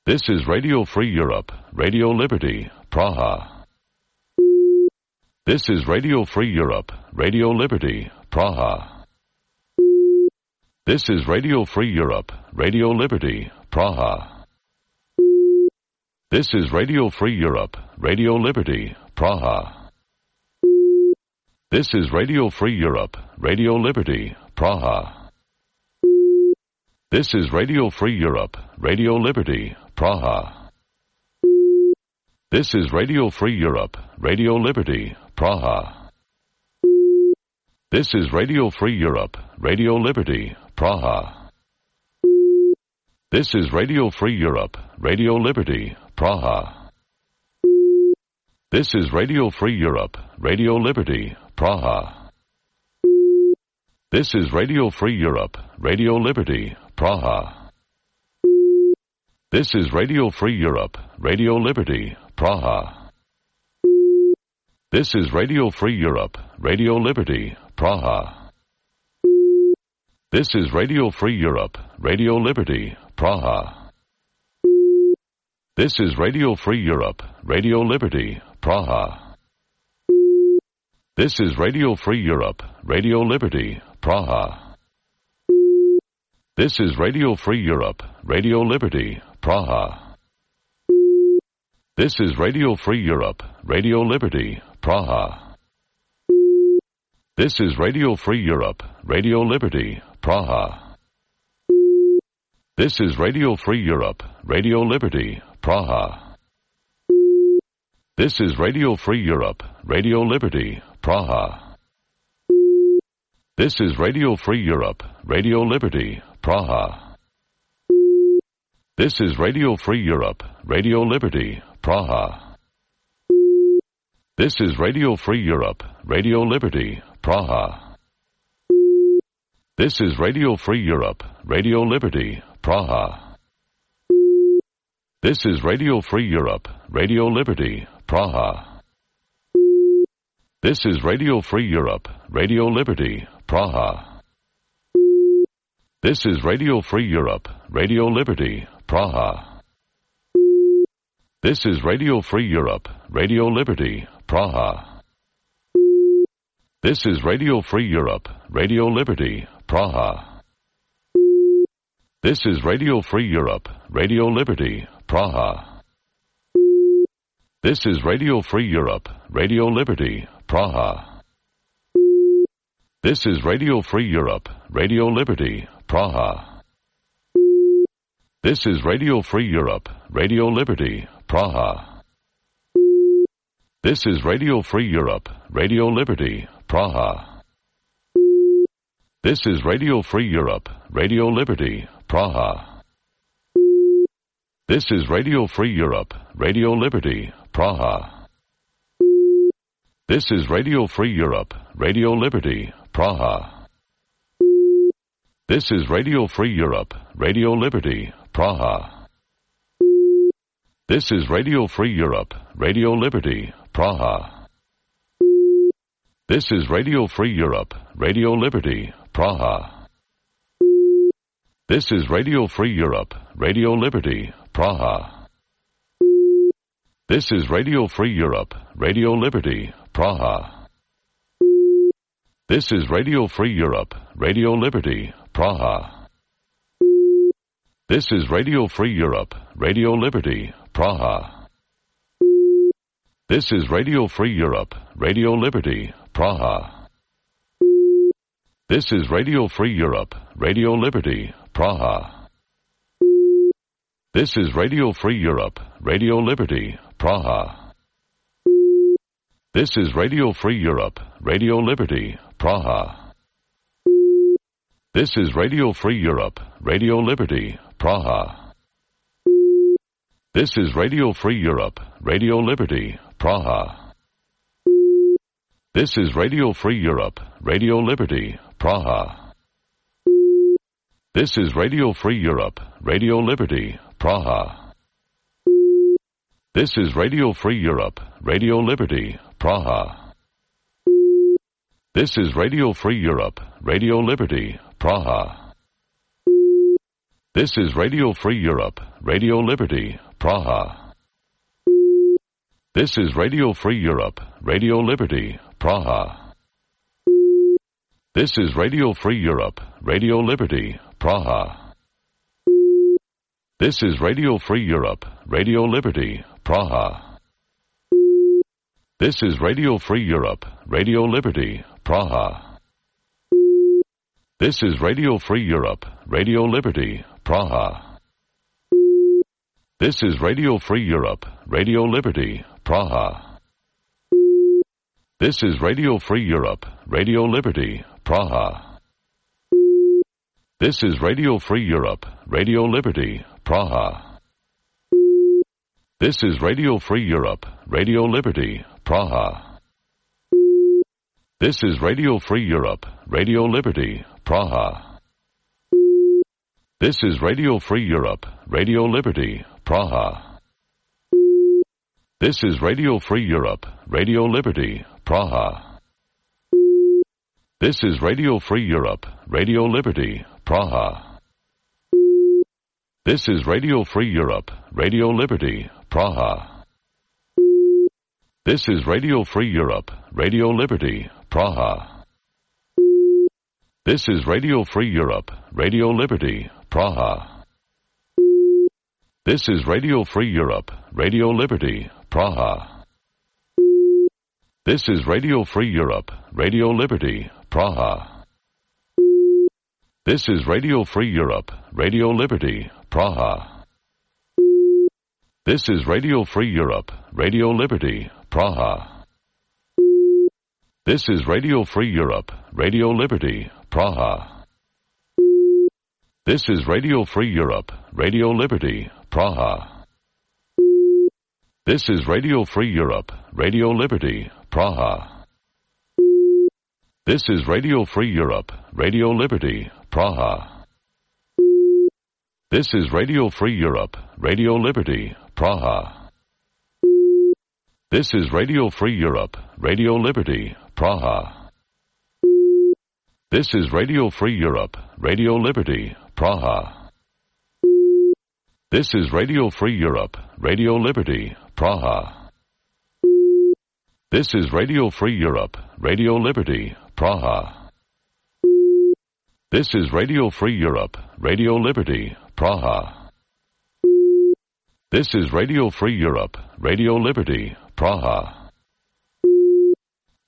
This is Radio Free Europe, Radio Liberty, Praha. This is Radio Free Europe, Radio Liberty, Praha. This is Radio Free Europe, Radio Liberty, Praha. This is Radio Free Europe, Radio Liberty, Praha. This is Radio Free Europe, Radio Liberty, Praha. This is Radio Free Europe, Radio Liberty, Praha. This is Radio Free Europe, Radio Liberty, Praha. This is Radio Free Europe, Radio Liberty, Praha. This is Radio Free Europe, Radio Liberty, Praha. This is Radio Free Europe, Radio Liberty, Praha. This is Radio Free Europe, Radio Liberty, Praha. This is Radio Free Europe, Radio Liberty, Praha. This is Radio Free Europe, Radio Liberty, Praha. This is Radio Free Europe, Radio Liberty, Praha. This is Radio Free Europe, Radio Liberty, Praha. This is Radio Free Europe, Radio Liberty, Praha. This is Radio Free Europe, Radio Liberty, Praha. This is Radio Free Europe, Radio Liberty, Praha. This is Radio Free Europe, Radio Liberty, Praha. This is Radio Free Europe, Radio Liberty, Praha. This is Radio Free Europe, Radio Liberty, Praha. This is Radio Free Europe, Radio Liberty, Praha. This is Radio Free Europe, Radio Liberty, Praha. This is Radio Free Europe, Radio Liberty, Praha. This is Radio Free Europe, Radio Liberty, Praha. This is Radio Free Europe, Radio Liberty, Praha. This is Radio Free Europe, Radio Liberty, Praha. This is Radio Free Europe, Radio Liberty, Praha. This is Radio Free Europe, Radio Liberty, Praha. This is Radio Free Europe, Radio Liberty, Praha. This is Radio Free Europe, Radio Liberty, Praha. This is Radio Free Europe, Radio Liberty, Praha. This is Radio Free Europe, Radio Liberty, Praha. This is Radio Free Europe, Radio Liberty, Praha. This is Radio Free Europe, Radio Liberty, Praha. This is Radio Free Europe, Radio Liberty, Praha. This is Radio Free Europe, Radio Liberty, Praha. This is Radio Free Europe, Radio Liberty, Praha. This is Radio Free Europe, Radio Liberty, Praha. This is Radio Free Europe, Radio Liberty, Praha. This is Radio Free Europe, Radio Liberty, Praha. This is Radio Free Europe, Radio Liberty, Praha. This is Radio Free Europe, Radio Liberty, Praha. This is Radio Free Europe, Radio Liberty, Praha. This is Radio Free Europe, Radio Liberty, Praha. This is Radio Free Europe, Radio Liberty, Praha. This is Radio Free Europe, Radio Liberty, Praha. This is Radio Free Europe, Radio Liberty, Praha. This is Radio Free Europe, Radio Liberty, Praha. This is Radio Free Europe, Radio Liberty, Praha. This is Radio Free Europe, Radio Liberty, Praha. This is Radio Free Europe, Radio Liberty, Praha. This is Radio Free Europe, Radio Liberty, Praha. This is Radio Free Europe, Radio Liberty, Praha. This is Radio Free Europe, Radio Liberty, Praha. This is Radio Free Europe, Radio Liberty, Praha. This is Radio Free Europe, Radio Liberty, Praha. This is Radio Free Europe, Radio Liberty, Praha. This is Radio Free Europe, Radio Liberty, Praha. This is Radio Free Europe, Radio Liberty, Praha. This is Radio Free Europe, Radio Liberty, Praha. This is Radio Free Europe, Radio Liberty, Praha. This is Radio Free Europe, Radio Liberty, Praha. This is Radio Free Europe, Radio Liberty, Praha. This is Radio Free Europe, Radio Liberty, Praha. This is Radio Free Europe, Radio Liberty, Praha. This is Radio Free Europe, Radio Liberty, Praha. This is Radio Free Europe, Radio Liberty, Praha. This is Radio Free Europe, Radio Liberty, Praha. This is Radio Free Europe, Radio Liberty, Praha. This is Radio Free Europe, Radio Liberty, Praha. This is Radio Free Europe, Radio Liberty, Praha. This is Radio Free Europe, Radio Liberty, Praha. This is Radio Free Europe, Radio Liberty, Praha. This is Radio Free Europe, Radio Liberty, Praha. This is Radio Free Europe, Radio Liberty, Praha. This is Radio Free Europe, Radio Liberty, Praha. This is Radio Free Europe, Radio Liberty, Praha. This is Radio Free Europe, Radio Liberty, Praha. This is Radio Free Europe, Radio Liberty, Praha. This is Radio Free Europe, Radio Liberty, Praha. This is Radio Free Europe, Radio Liberty, Praha. This is Radio Free Europe, Radio Liberty, Praha. This is Radio Free Europe, Radio Liberty, Praha. This is Radio Free Europe, Radio Liberty, Praha. This is Radio Free Europe, Radio Liberty, Praha. This is Radio Free Europe, Radio Liberty, Praha.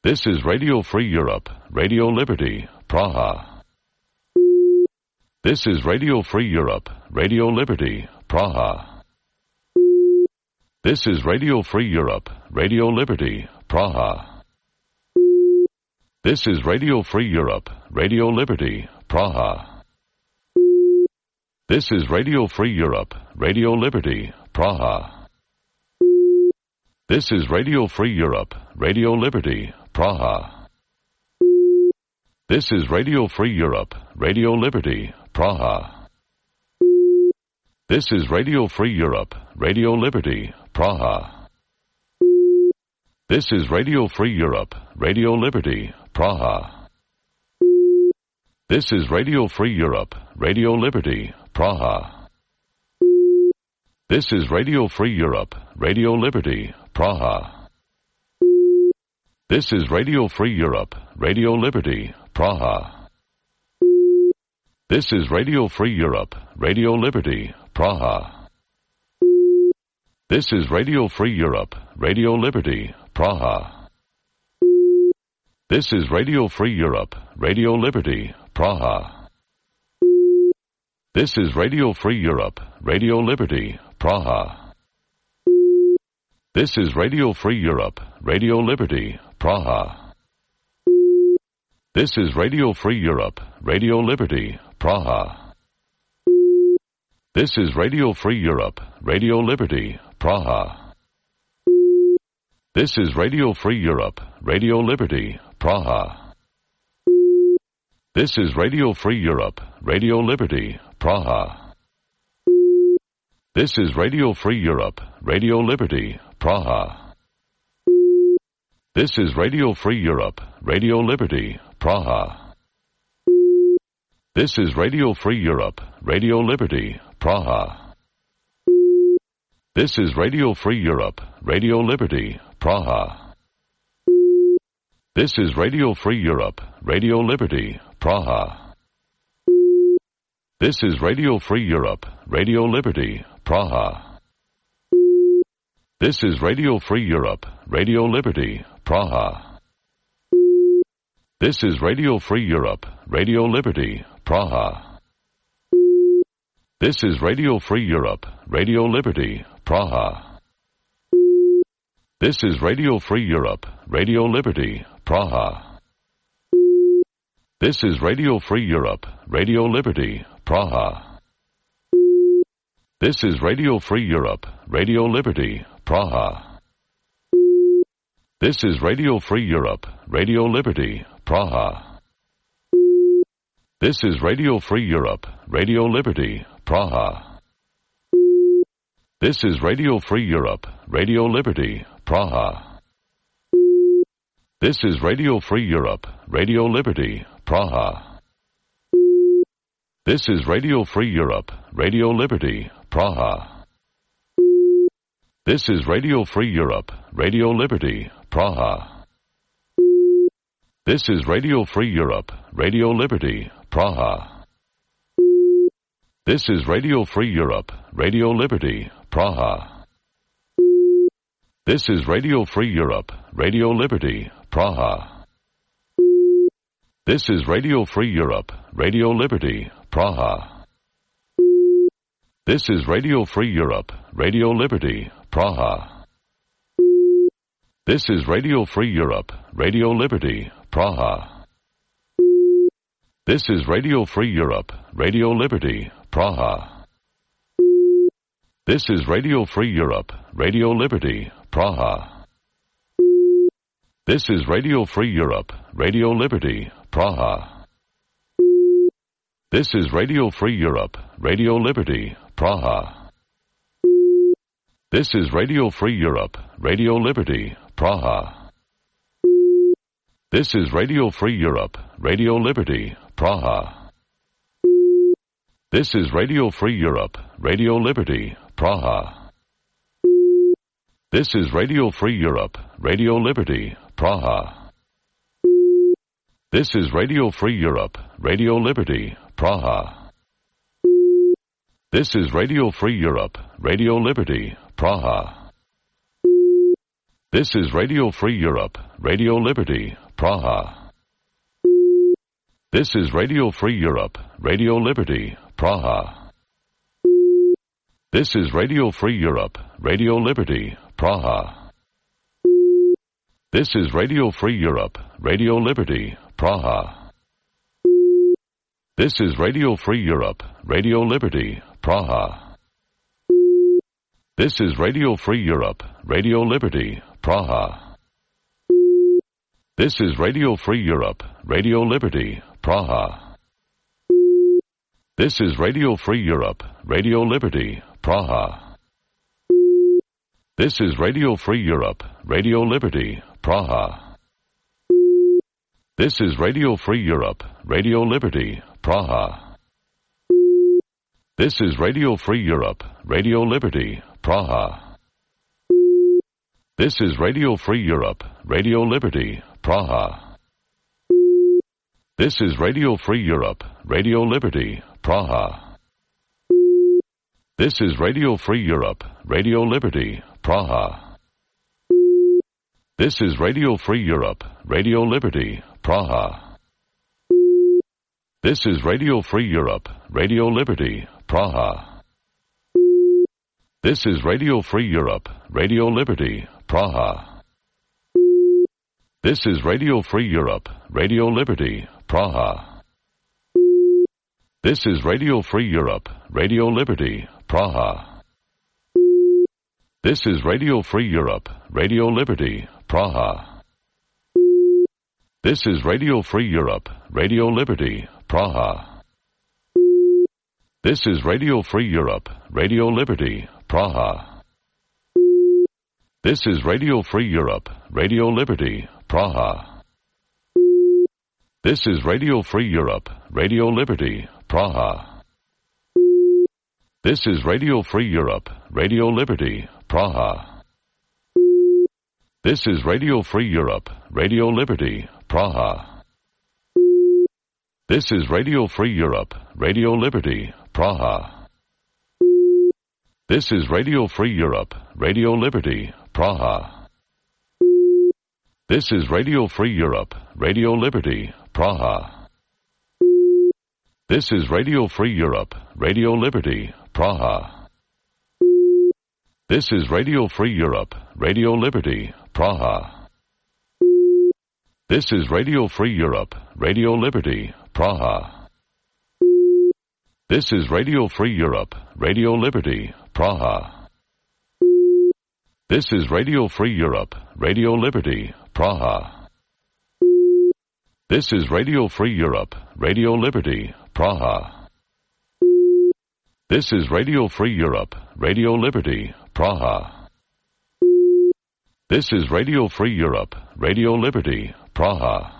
This is Radio Free Europe, Radio Liberty, Praha. This is Radio Free Europe, Radio Liberty, Praha. This is Radio Free Europe, Radio Liberty, Praha. This is Radio Free Europe, Radio Liberty, Praha. This is Radio Free Europe, Radio Liberty, Praha. This is Radio Free Europe, Radio Liberty, Praha. This is Radio Free Europe, Radio Liberty, Praha. This is Radio Free Europe, Radio Liberty, Praha. This is Radio Free Europe, Radio Liberty, Praha. This is Radio Free Europe, Radio Liberty, Praha. This is Radio Free Europe, Radio Liberty, Praha. This is Radio Free Europe, Radio Liberty, Praha. This is Radio Free Europe, Radio Liberty, Praha. This is Radio Free Europe, Radio Liberty, Praha. This is Radio Free Europe, Radio Liberty, Praha. This is Radio Free Europe, Radio Liberty, Praha. This is Radio Free Europe, Radio Liberty, Praha. This is Radio Free Europe, Radio Liberty, Praha. This is Radio Free Europe, Radio Liberty, Praha. This is Radio Free Europe, Radio Liberty, Praha. This is Radio Free Europe, Radio Liberty, Praha. This is Radio Free Europe, Radio Liberty, Praha. This is Radio Free Europe, Radio Liberty, Praha. This is Radio Free Europe, Radio Liberty, Praha. This is Radio Free Europe, Radio Liberty, Praha. This is Radio Free Europe, Radio Liberty, Praha. This is Radio Free Europe, Radio Liberty, Praha. This is Radio Free Europe, Radio Liberty, Praha. This is Radio Free Europe, Radio Liberty, Praha. This is Radio Free Europe, Radio Liberty, Praha. This is Radio Free Europe, Radio Liberty, Praha. This is Radio Free Europe, Radio Liberty, Praha. This is Radio Free Europe, Radio Liberty, Praha. This is Radio Free Europe, Radio Liberty, Praha. This is Radio Free Europe, Radio Liberty, Praha. This is Radio Free Europe, Radio Liberty, Praha. This is Radio Free Europe, Radio Liberty, Praha. This is Radio Free Europe, Radio Liberty, Praha. This is Radio Free Europe, Radio Liberty, Praha. This is Radio Free Europe, Radio Liberty, Praha. This is Radio Free Europe, Radio Liberty, Praha. This is Radio Free Europe, Radio Liberty, Praha. This is Radio Free Europe, Radio Liberty, Praha. This is Radio Free Europe, Radio Liberty, Praha. This is Radio Free Europe, Radio Liberty, Praha. This is Radio Free Europe, Radio Liberty, Praha. This is Radio Free Europe, Radio Liberty, Praha. This is Radio Free Europe, Radio Liberty, Praha. This is Radio Free Europe, Radio Liberty, Praha. This is Radio Free Europe, Radio Liberty, Praha. This is Radio Free Europe, Radio Liberty, Praha. This is Radio Free Europe, Radio Liberty, Praha. This is Radio Free Europe, Radio Liberty, Praha. This is Radio Free Europe, Radio Liberty, Praha. This is Radio Free Europe, Radio Liberty, Praha. This is Radio Free Europe, Radio Liberty, Praha. This is Radio Free Europe, Radio Liberty, Praha. This is Radio Free Europe, Radio Liberty, Praha. This is Radio Free Europe, Radio Liberty, Praha. This is Radio Free Europe, Radio Liberty, Praha. This is Radio Free Europe, Radio Liberty, Praha. This is Radio Free Europe, Radio Liberty, Praha. This is Radio Free Europe, Radio Liberty, Praha. This is Radio Free Europe, Radio Liberty, Praha. This is Radio Free Europe, Radio Liberty, Praha. This is Radio Free Europe, Radio Liberty, Praha. This is Radio Free Europe, Radio Liberty, Praha. This is Radio Free Europe, Radio Liberty, Praha. This is Radio Free Europe, Radio Liberty, Praha. This is Radio Free Europe, Radio Liberty, Praha. This is Radio Free Europe, Radio Liberty, Praha. This is Radio Free Europe, Radio Liberty, Praha. This is Radio Free Europe, Radio Liberty, Praha. This is Radio Free Europe, Radio Liberty, Praha. This is Radio Free Europe, Radio Liberty, Praha. This is Radio Free Europe, Radio Liberty, Praha. This is Radio Free Europe, Radio Liberty, Praha. This is Radio Free Europe, Radio Liberty, Praha. This is Radio Free Europe, Radio Liberty, Praha. This is Radio Free Europe, Radio Liberty, Praha. This is Radio Free Europe, Radio Liberty, Praha. This is Radio Free Europe, Radio Liberty, Praha. This is Radio Free Europe, Radio Liberty, Praha. This is Radio Free Europe, Radio Liberty, Praha. This is Radio Free Europe, Radio Liberty, Praha. This is Radio Free Europe, Radio Liberty, Praha. This is Radio Free Europe, Radio Liberty, Praha. This is Radio Free Europe, Radio Liberty, Praha. This is Radio Free Europe, Radio Liberty, Praha. This is Radio Free Europe, Radio Liberty, Praha. This is Radio Free Europe, Radio Liberty, Praha. This is Radio Free Europe, Radio Liberty, Praha. This is Radio Free Europe, Radio Liberty, Praha.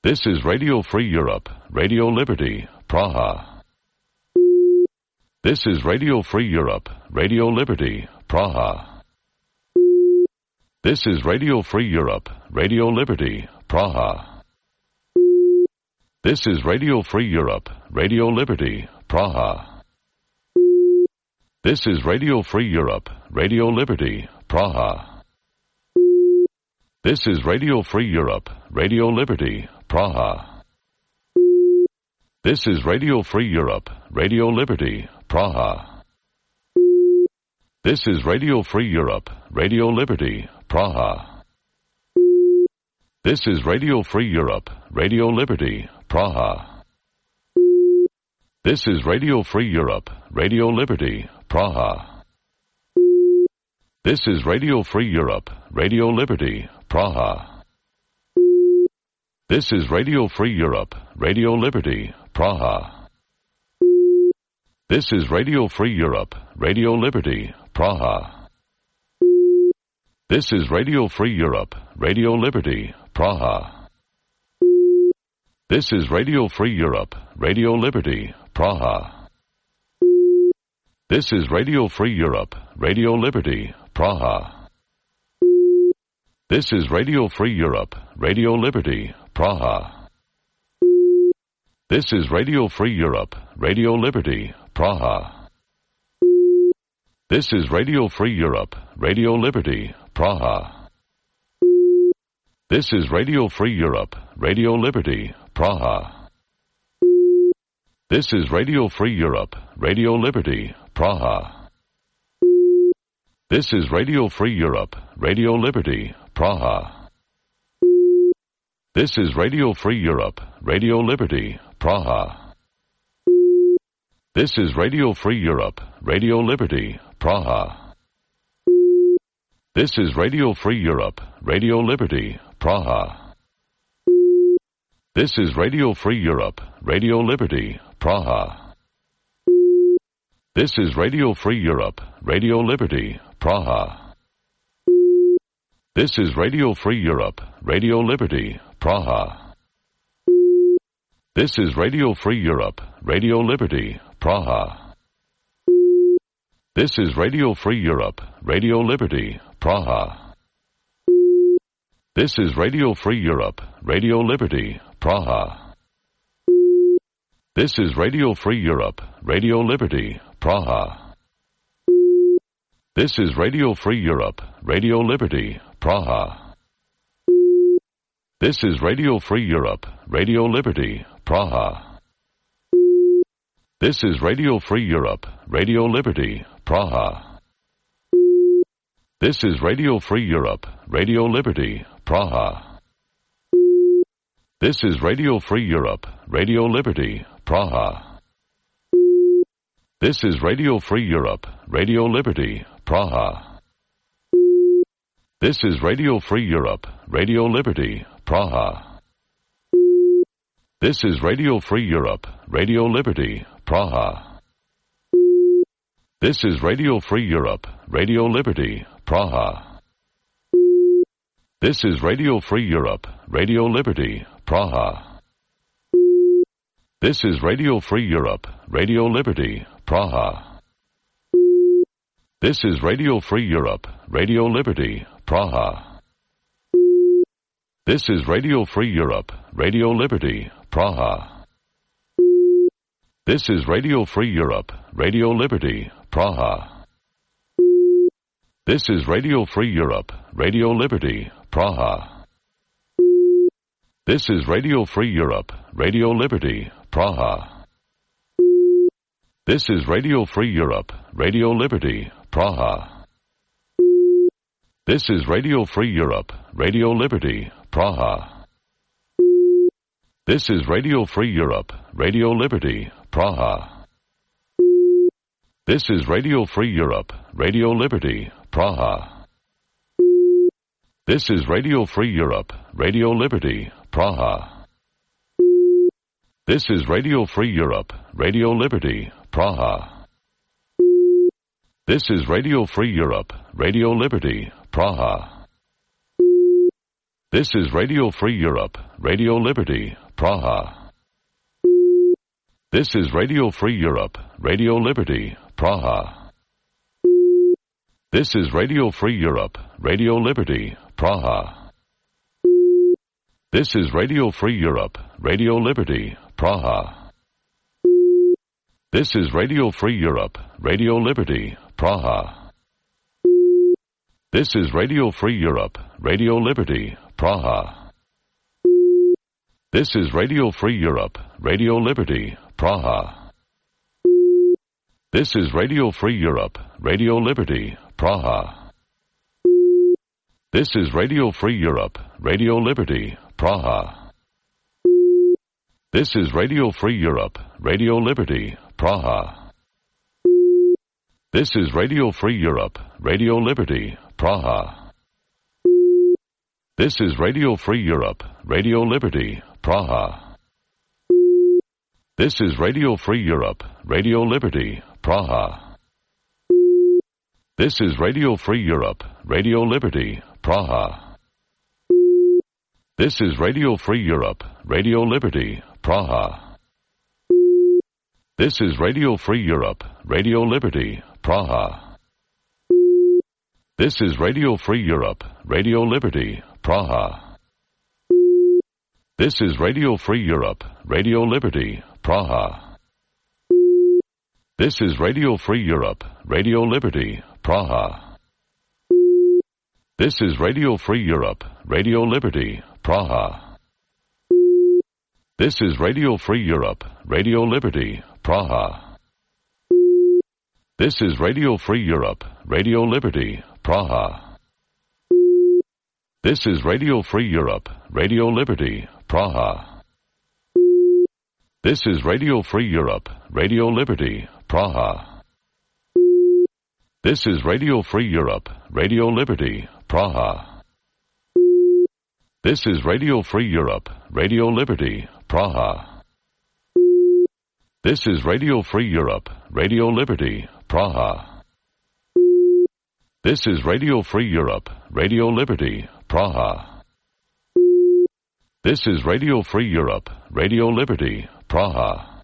This is Radio Free Europe, Radio Liberty, Praha. This is Radio Free Europe, Radio Liberty, Praha. This is Radio Free Europe, Radio Liberty, Praha. This is Radio Free Europe, Radio Liberty, Praha. This is Radio Free Europe, Radio Liberty, Praha. This is Radio Free Europe, Radio Liberty, Praha. This is Radio Free Europe, Radio Liberty, Praha. This is Radio Free Europe, Radio Liberty, Praha. This is Radio Free Europe, Radio Liberty, Praha. This is Radio Free Europe, Radio Liberty, Praha. This is Radio Free Europe, Radio Liberty, Praha. This is Radio Free Europe, Radio Liberty, Praha. This is Radio Free Europe, Radio Liberty, Praha. This is Radio Free Europe, Radio Liberty, Praha. This is Radio Free Europe, Radio Liberty, Praha. This is Radio Free Europe, Radio Liberty, Praha. This is Radio Free Europe, Radio Liberty, Praha. This is Radio Free Europe, Radio Liberty, Praha. This is Radio Free Europe, Radio Liberty, Praha. This is Radio Free Europe, Radio Liberty, Praha. This is Radio Free Europe, Radio Liberty, Praha. This is Radio Free Europe, Radio Liberty, Praha. This is Radio Free Europe, Radio Liberty, Praha. This is Radio Free Europe, Radio Liberty, Praha. This is Radio Free Europe, Radio Liberty, Praha. This is Radio Free Europe, Radio Liberty, Praha. This is Radio Free Europe, Radio Liberty, Praha. This is Radio Free Europe, Radio Liberty, Praha. This is Radio Free Europe, Radio Liberty, Praha. This is Radio Free Europe, Radio Liberty, Praha. This is Radio Free Europe, Radio Liberty, Praha. This is Radio Free Europe, Radio Liberty, Praha. This is Radio Free Europe, Radio Liberty, Praha. This is Radio Free Europe, Radio Liberty, Praha. This is Radio Free Europe, Radio Liberty, Praha. This is Radio Free Europe, Radio Liberty, Praha. This is Radio Free Europe, Radio Liberty, Praha. This is Radio Free Europe, Radio Liberty, Praha. This is Radio Free Europe, Radio Liberty, Praha. This is Radio Free Europe, Radio Liberty, Praha. This is Radio Free Europe, Radio Liberty, Praha. This is Radio Free Europe, Radio Liberty, Praha. This is Radio Free Europe, Radio Liberty, Praha. This is Radio Free Europe, Radio Liberty, Praha. This is Radio Free Europe, Radio Liberty, Praha. This is Radio Free Europe, Radio Liberty, Praha. This is Radio Free Europe, Radio Liberty, Praha. This is Radio Free Europe, Radio Liberty, Praha. This is Radio Free Europe, Radio Liberty, Praha. This is Radio Free Europe, Radio Liberty, Praha. This is Radio Free Europe, Radio Liberty, Praha. This is Radio Free Europe, Radio Liberty, Praha. This is Radio Free Europe, Radio Liberty, Praha. This is Radio Free Europe, Radio Liberty, Praha. This is Radio Free Europe, Radio Liberty, Praha. This is Radio Free Europe, Radio Liberty, Praha. This is Radio Free Europe, Radio Liberty, Praha. This is Radio Free Europe, Radio Liberty, Praha. This is Radio Free Europe, Radio Liberty, Praha. This is Radio Free Europe, Radio Liberty, Praha. This is Radio Free Europe, Radio Liberty, Praha. This is Radio Free Europe, Radio Liberty, Praha. This is Radio Free Europe, Radio Liberty, Praha. This is Radio Free Europe, Radio Liberty, Praha. This is Radio Free Europe, Radio Liberty, Praha. This is Radio Free Europe, Radio Liberty, Praha. This is Radio Free Europe, Radio Liberty, Praha. This is Radio Free Europe, Radio Liberty, Praha. This is Radio Free Europe, Radio Liberty, Praha. This is Radio Free Europe, Radio Liberty, Praha. This is Radio Free Europe, Radio Liberty, Praha. This is Radio Free Europe, Radio Liberty, Praha. This is Radio Free Europe, Radio Liberty, Praha. This is Radio Free Europe, Radio Liberty, Praha. This is Radio Free Europe, Radio Liberty, Praha. This is Radio Free Europe, Radio Liberty, Praha. This is Radio Free Europe, Radio Liberty, Praha. This is Radio Free Europe, Radio Liberty, Praha. This is Radio Free Europe, Radio Liberty, Praha. This is Radio Free Europe, Radio Liberty, Praha. This is Radio Free Europe, Radio Liberty, Praha. This is Radio Free Europe, Radio Liberty, Praha. This is Radio Free Europe, Radio Liberty, Praha.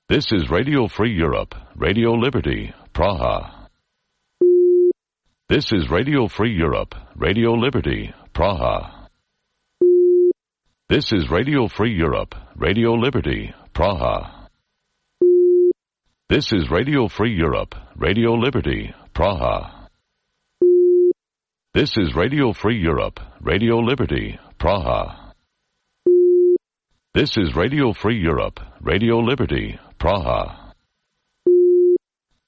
This is Radio Free Europe, Radio Liberty, Praha. This is Radio Free Europe, Radio Liberty, Praha. This is Radio Free Europe, Radio Liberty, Praha. This is Radio Free Europe, Radio Liberty, Praha. This is Radio Free Europe, Radio Liberty, Praha. This is Radio Free Europe, Radio Liberty, Praha.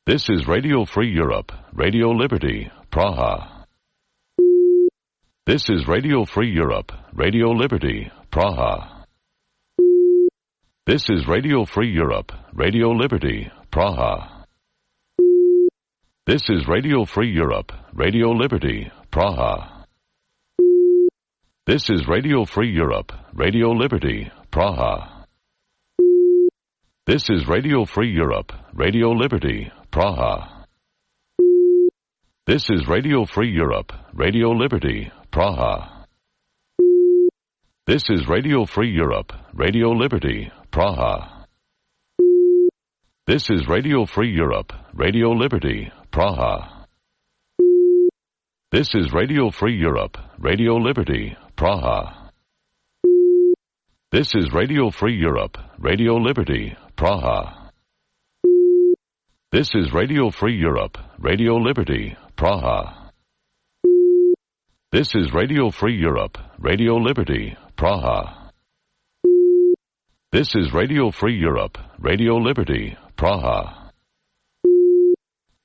This is Radio Free Europe, Radio Liberty, Praha. This is Radio Free Europe, Radio Liberty, Praha. This is Radio Free Europe, Radio Liberty, Praha. This is Radio Free Europe, Radio Liberty, Praha. This is Radio Free Europe, Radio Liberty, Praha. This is Radio Free Europe, Radio Liberty, Praha. This is Radio Free Europe, Radio Liberty, Praha. This is Radio Free Europe, Radio Liberty, Praha. This is Radio Free Europe, Radio Liberty, Praha. This is Radio Free Europe, Radio Liberty, Praha. This is Radio Free Europe, Radio Liberty, Praha. This is Radio Free Europe, Radio Liberty, Praha. This is Radio Free Europe, Radio Liberty, Praha. This is Radio Free Europe, Radio Liberty, Praha.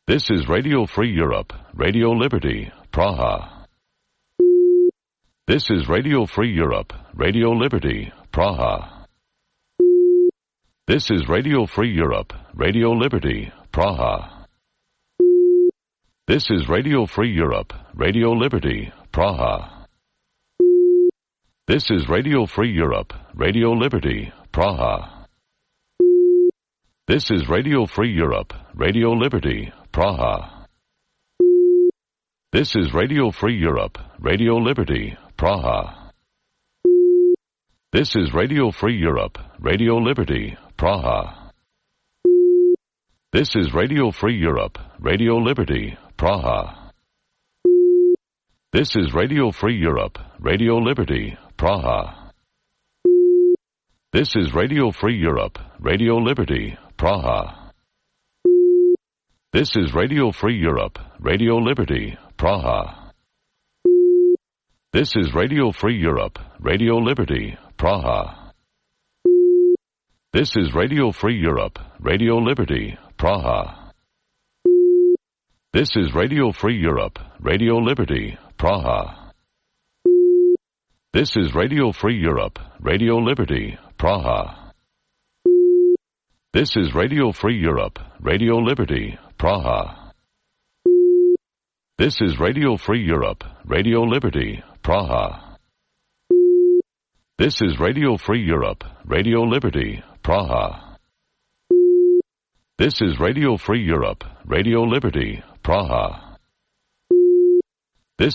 This is Radio Free Europe, Radio Liberty, Praha. This is Radio Free Europe, Radio Liberty, Praha. This is Radio Free Europe, Radio Liberty, Praha. This is Radio Free Europe, Radio Liberty, Praha. This is Radio Free Europe, Radio Liberty, Praha. This is Radio Free Europe, Radio Liberty, Praha. This is Radio Free Europe, Radio Liberty, Praha. This is Radio Free Europe, Radio Liberty, Praha. This is Radio Free Europe, Radio Liberty, Praha. This is Radio Free Europe, Radio Liberty, Praha. This is Radio Free Europe, Radio Liberty, Praha. This is Radio Free Europe, Radio Liberty, Praha. This is Radio Free Europe, Radio Liberty, Praha. This is Radio Free Europe, Radio Liberty, Praha. This is Radio Free Europe, Radio Liberty, Praha. This is Radio Free Europe, Radio Liberty, Praha. This is Radio Free Europe, Radio Liberty, Praha. This is Radio Free Europe, Radio Liberty, Praha. This is Radio Free Europe, Radio Liberty, Praha. This is Radio Free Europe, Radio Liberty, Praha.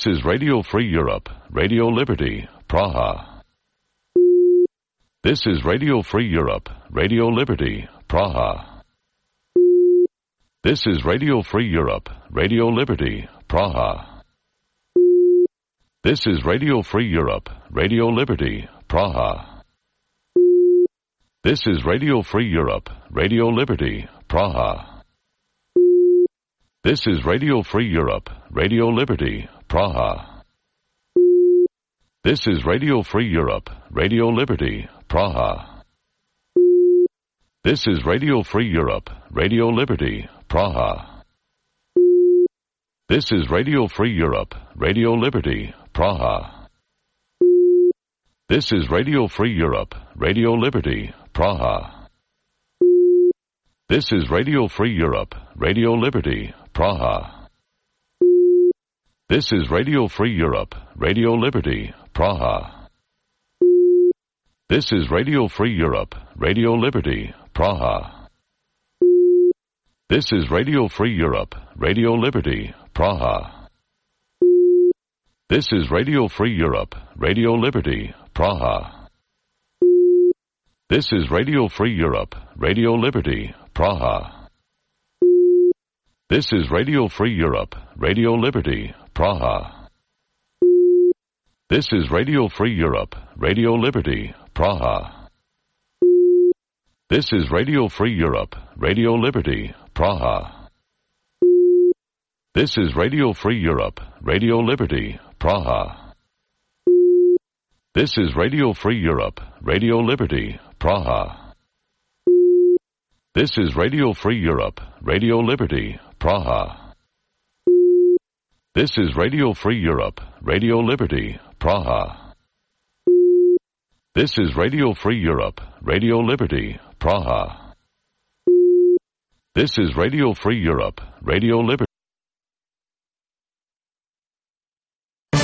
This is Radio Free Europe, Radio Liberty, Praha. This is Radio Free Europe, Radio Liberty, Praha. This is Radio Free Europe, Radio Liberty, Praha. This is Radio Free Europe, Radio Liberty, Praha. This is Radio Free Europe, Radio Liberty, Praha. This is Radio Free Europe, Radio Liberty, Praha. This is Radio Free Europe, Radio Liberty, Praha. This is Radio Free Europe, Radio Liberty, Praha. This is Radio Free Europe, Radio Liberty, Praha. This is Radio Free Europe, Radio Liberty, Praha. This is Radio Free Europe, Radio Liberty, Praha. This is Radio Free Europe, Radio Liberty, Praha. This is Radio Free Europe, Radio Liberty, Praha. This is Radio Free Europe, Radio Liberty, Praha. This is Radio Free Europe, Radio Liberty, Praha. This is Radio Free Europe, Radio Liberty, Praha. This is Radio Free Europe, Radio Liberty, Praha. This is Radio Free Europe, Radio Liberty, Praha. This is Radio Free Europe, Radio Liberty, Praha. This is Radio Free Europe, Radio Liberty, Praha. This is Radio Free Europe, Radio Liberty, Praha. This is Radio Free Europe, Radio Liberty, Praha. This is Radio Free Europe, Radio Liberty, Praha. This is Radio Free Europe, Radio Liberty, Praha. This is Radio Free Europe, Radio Liberty.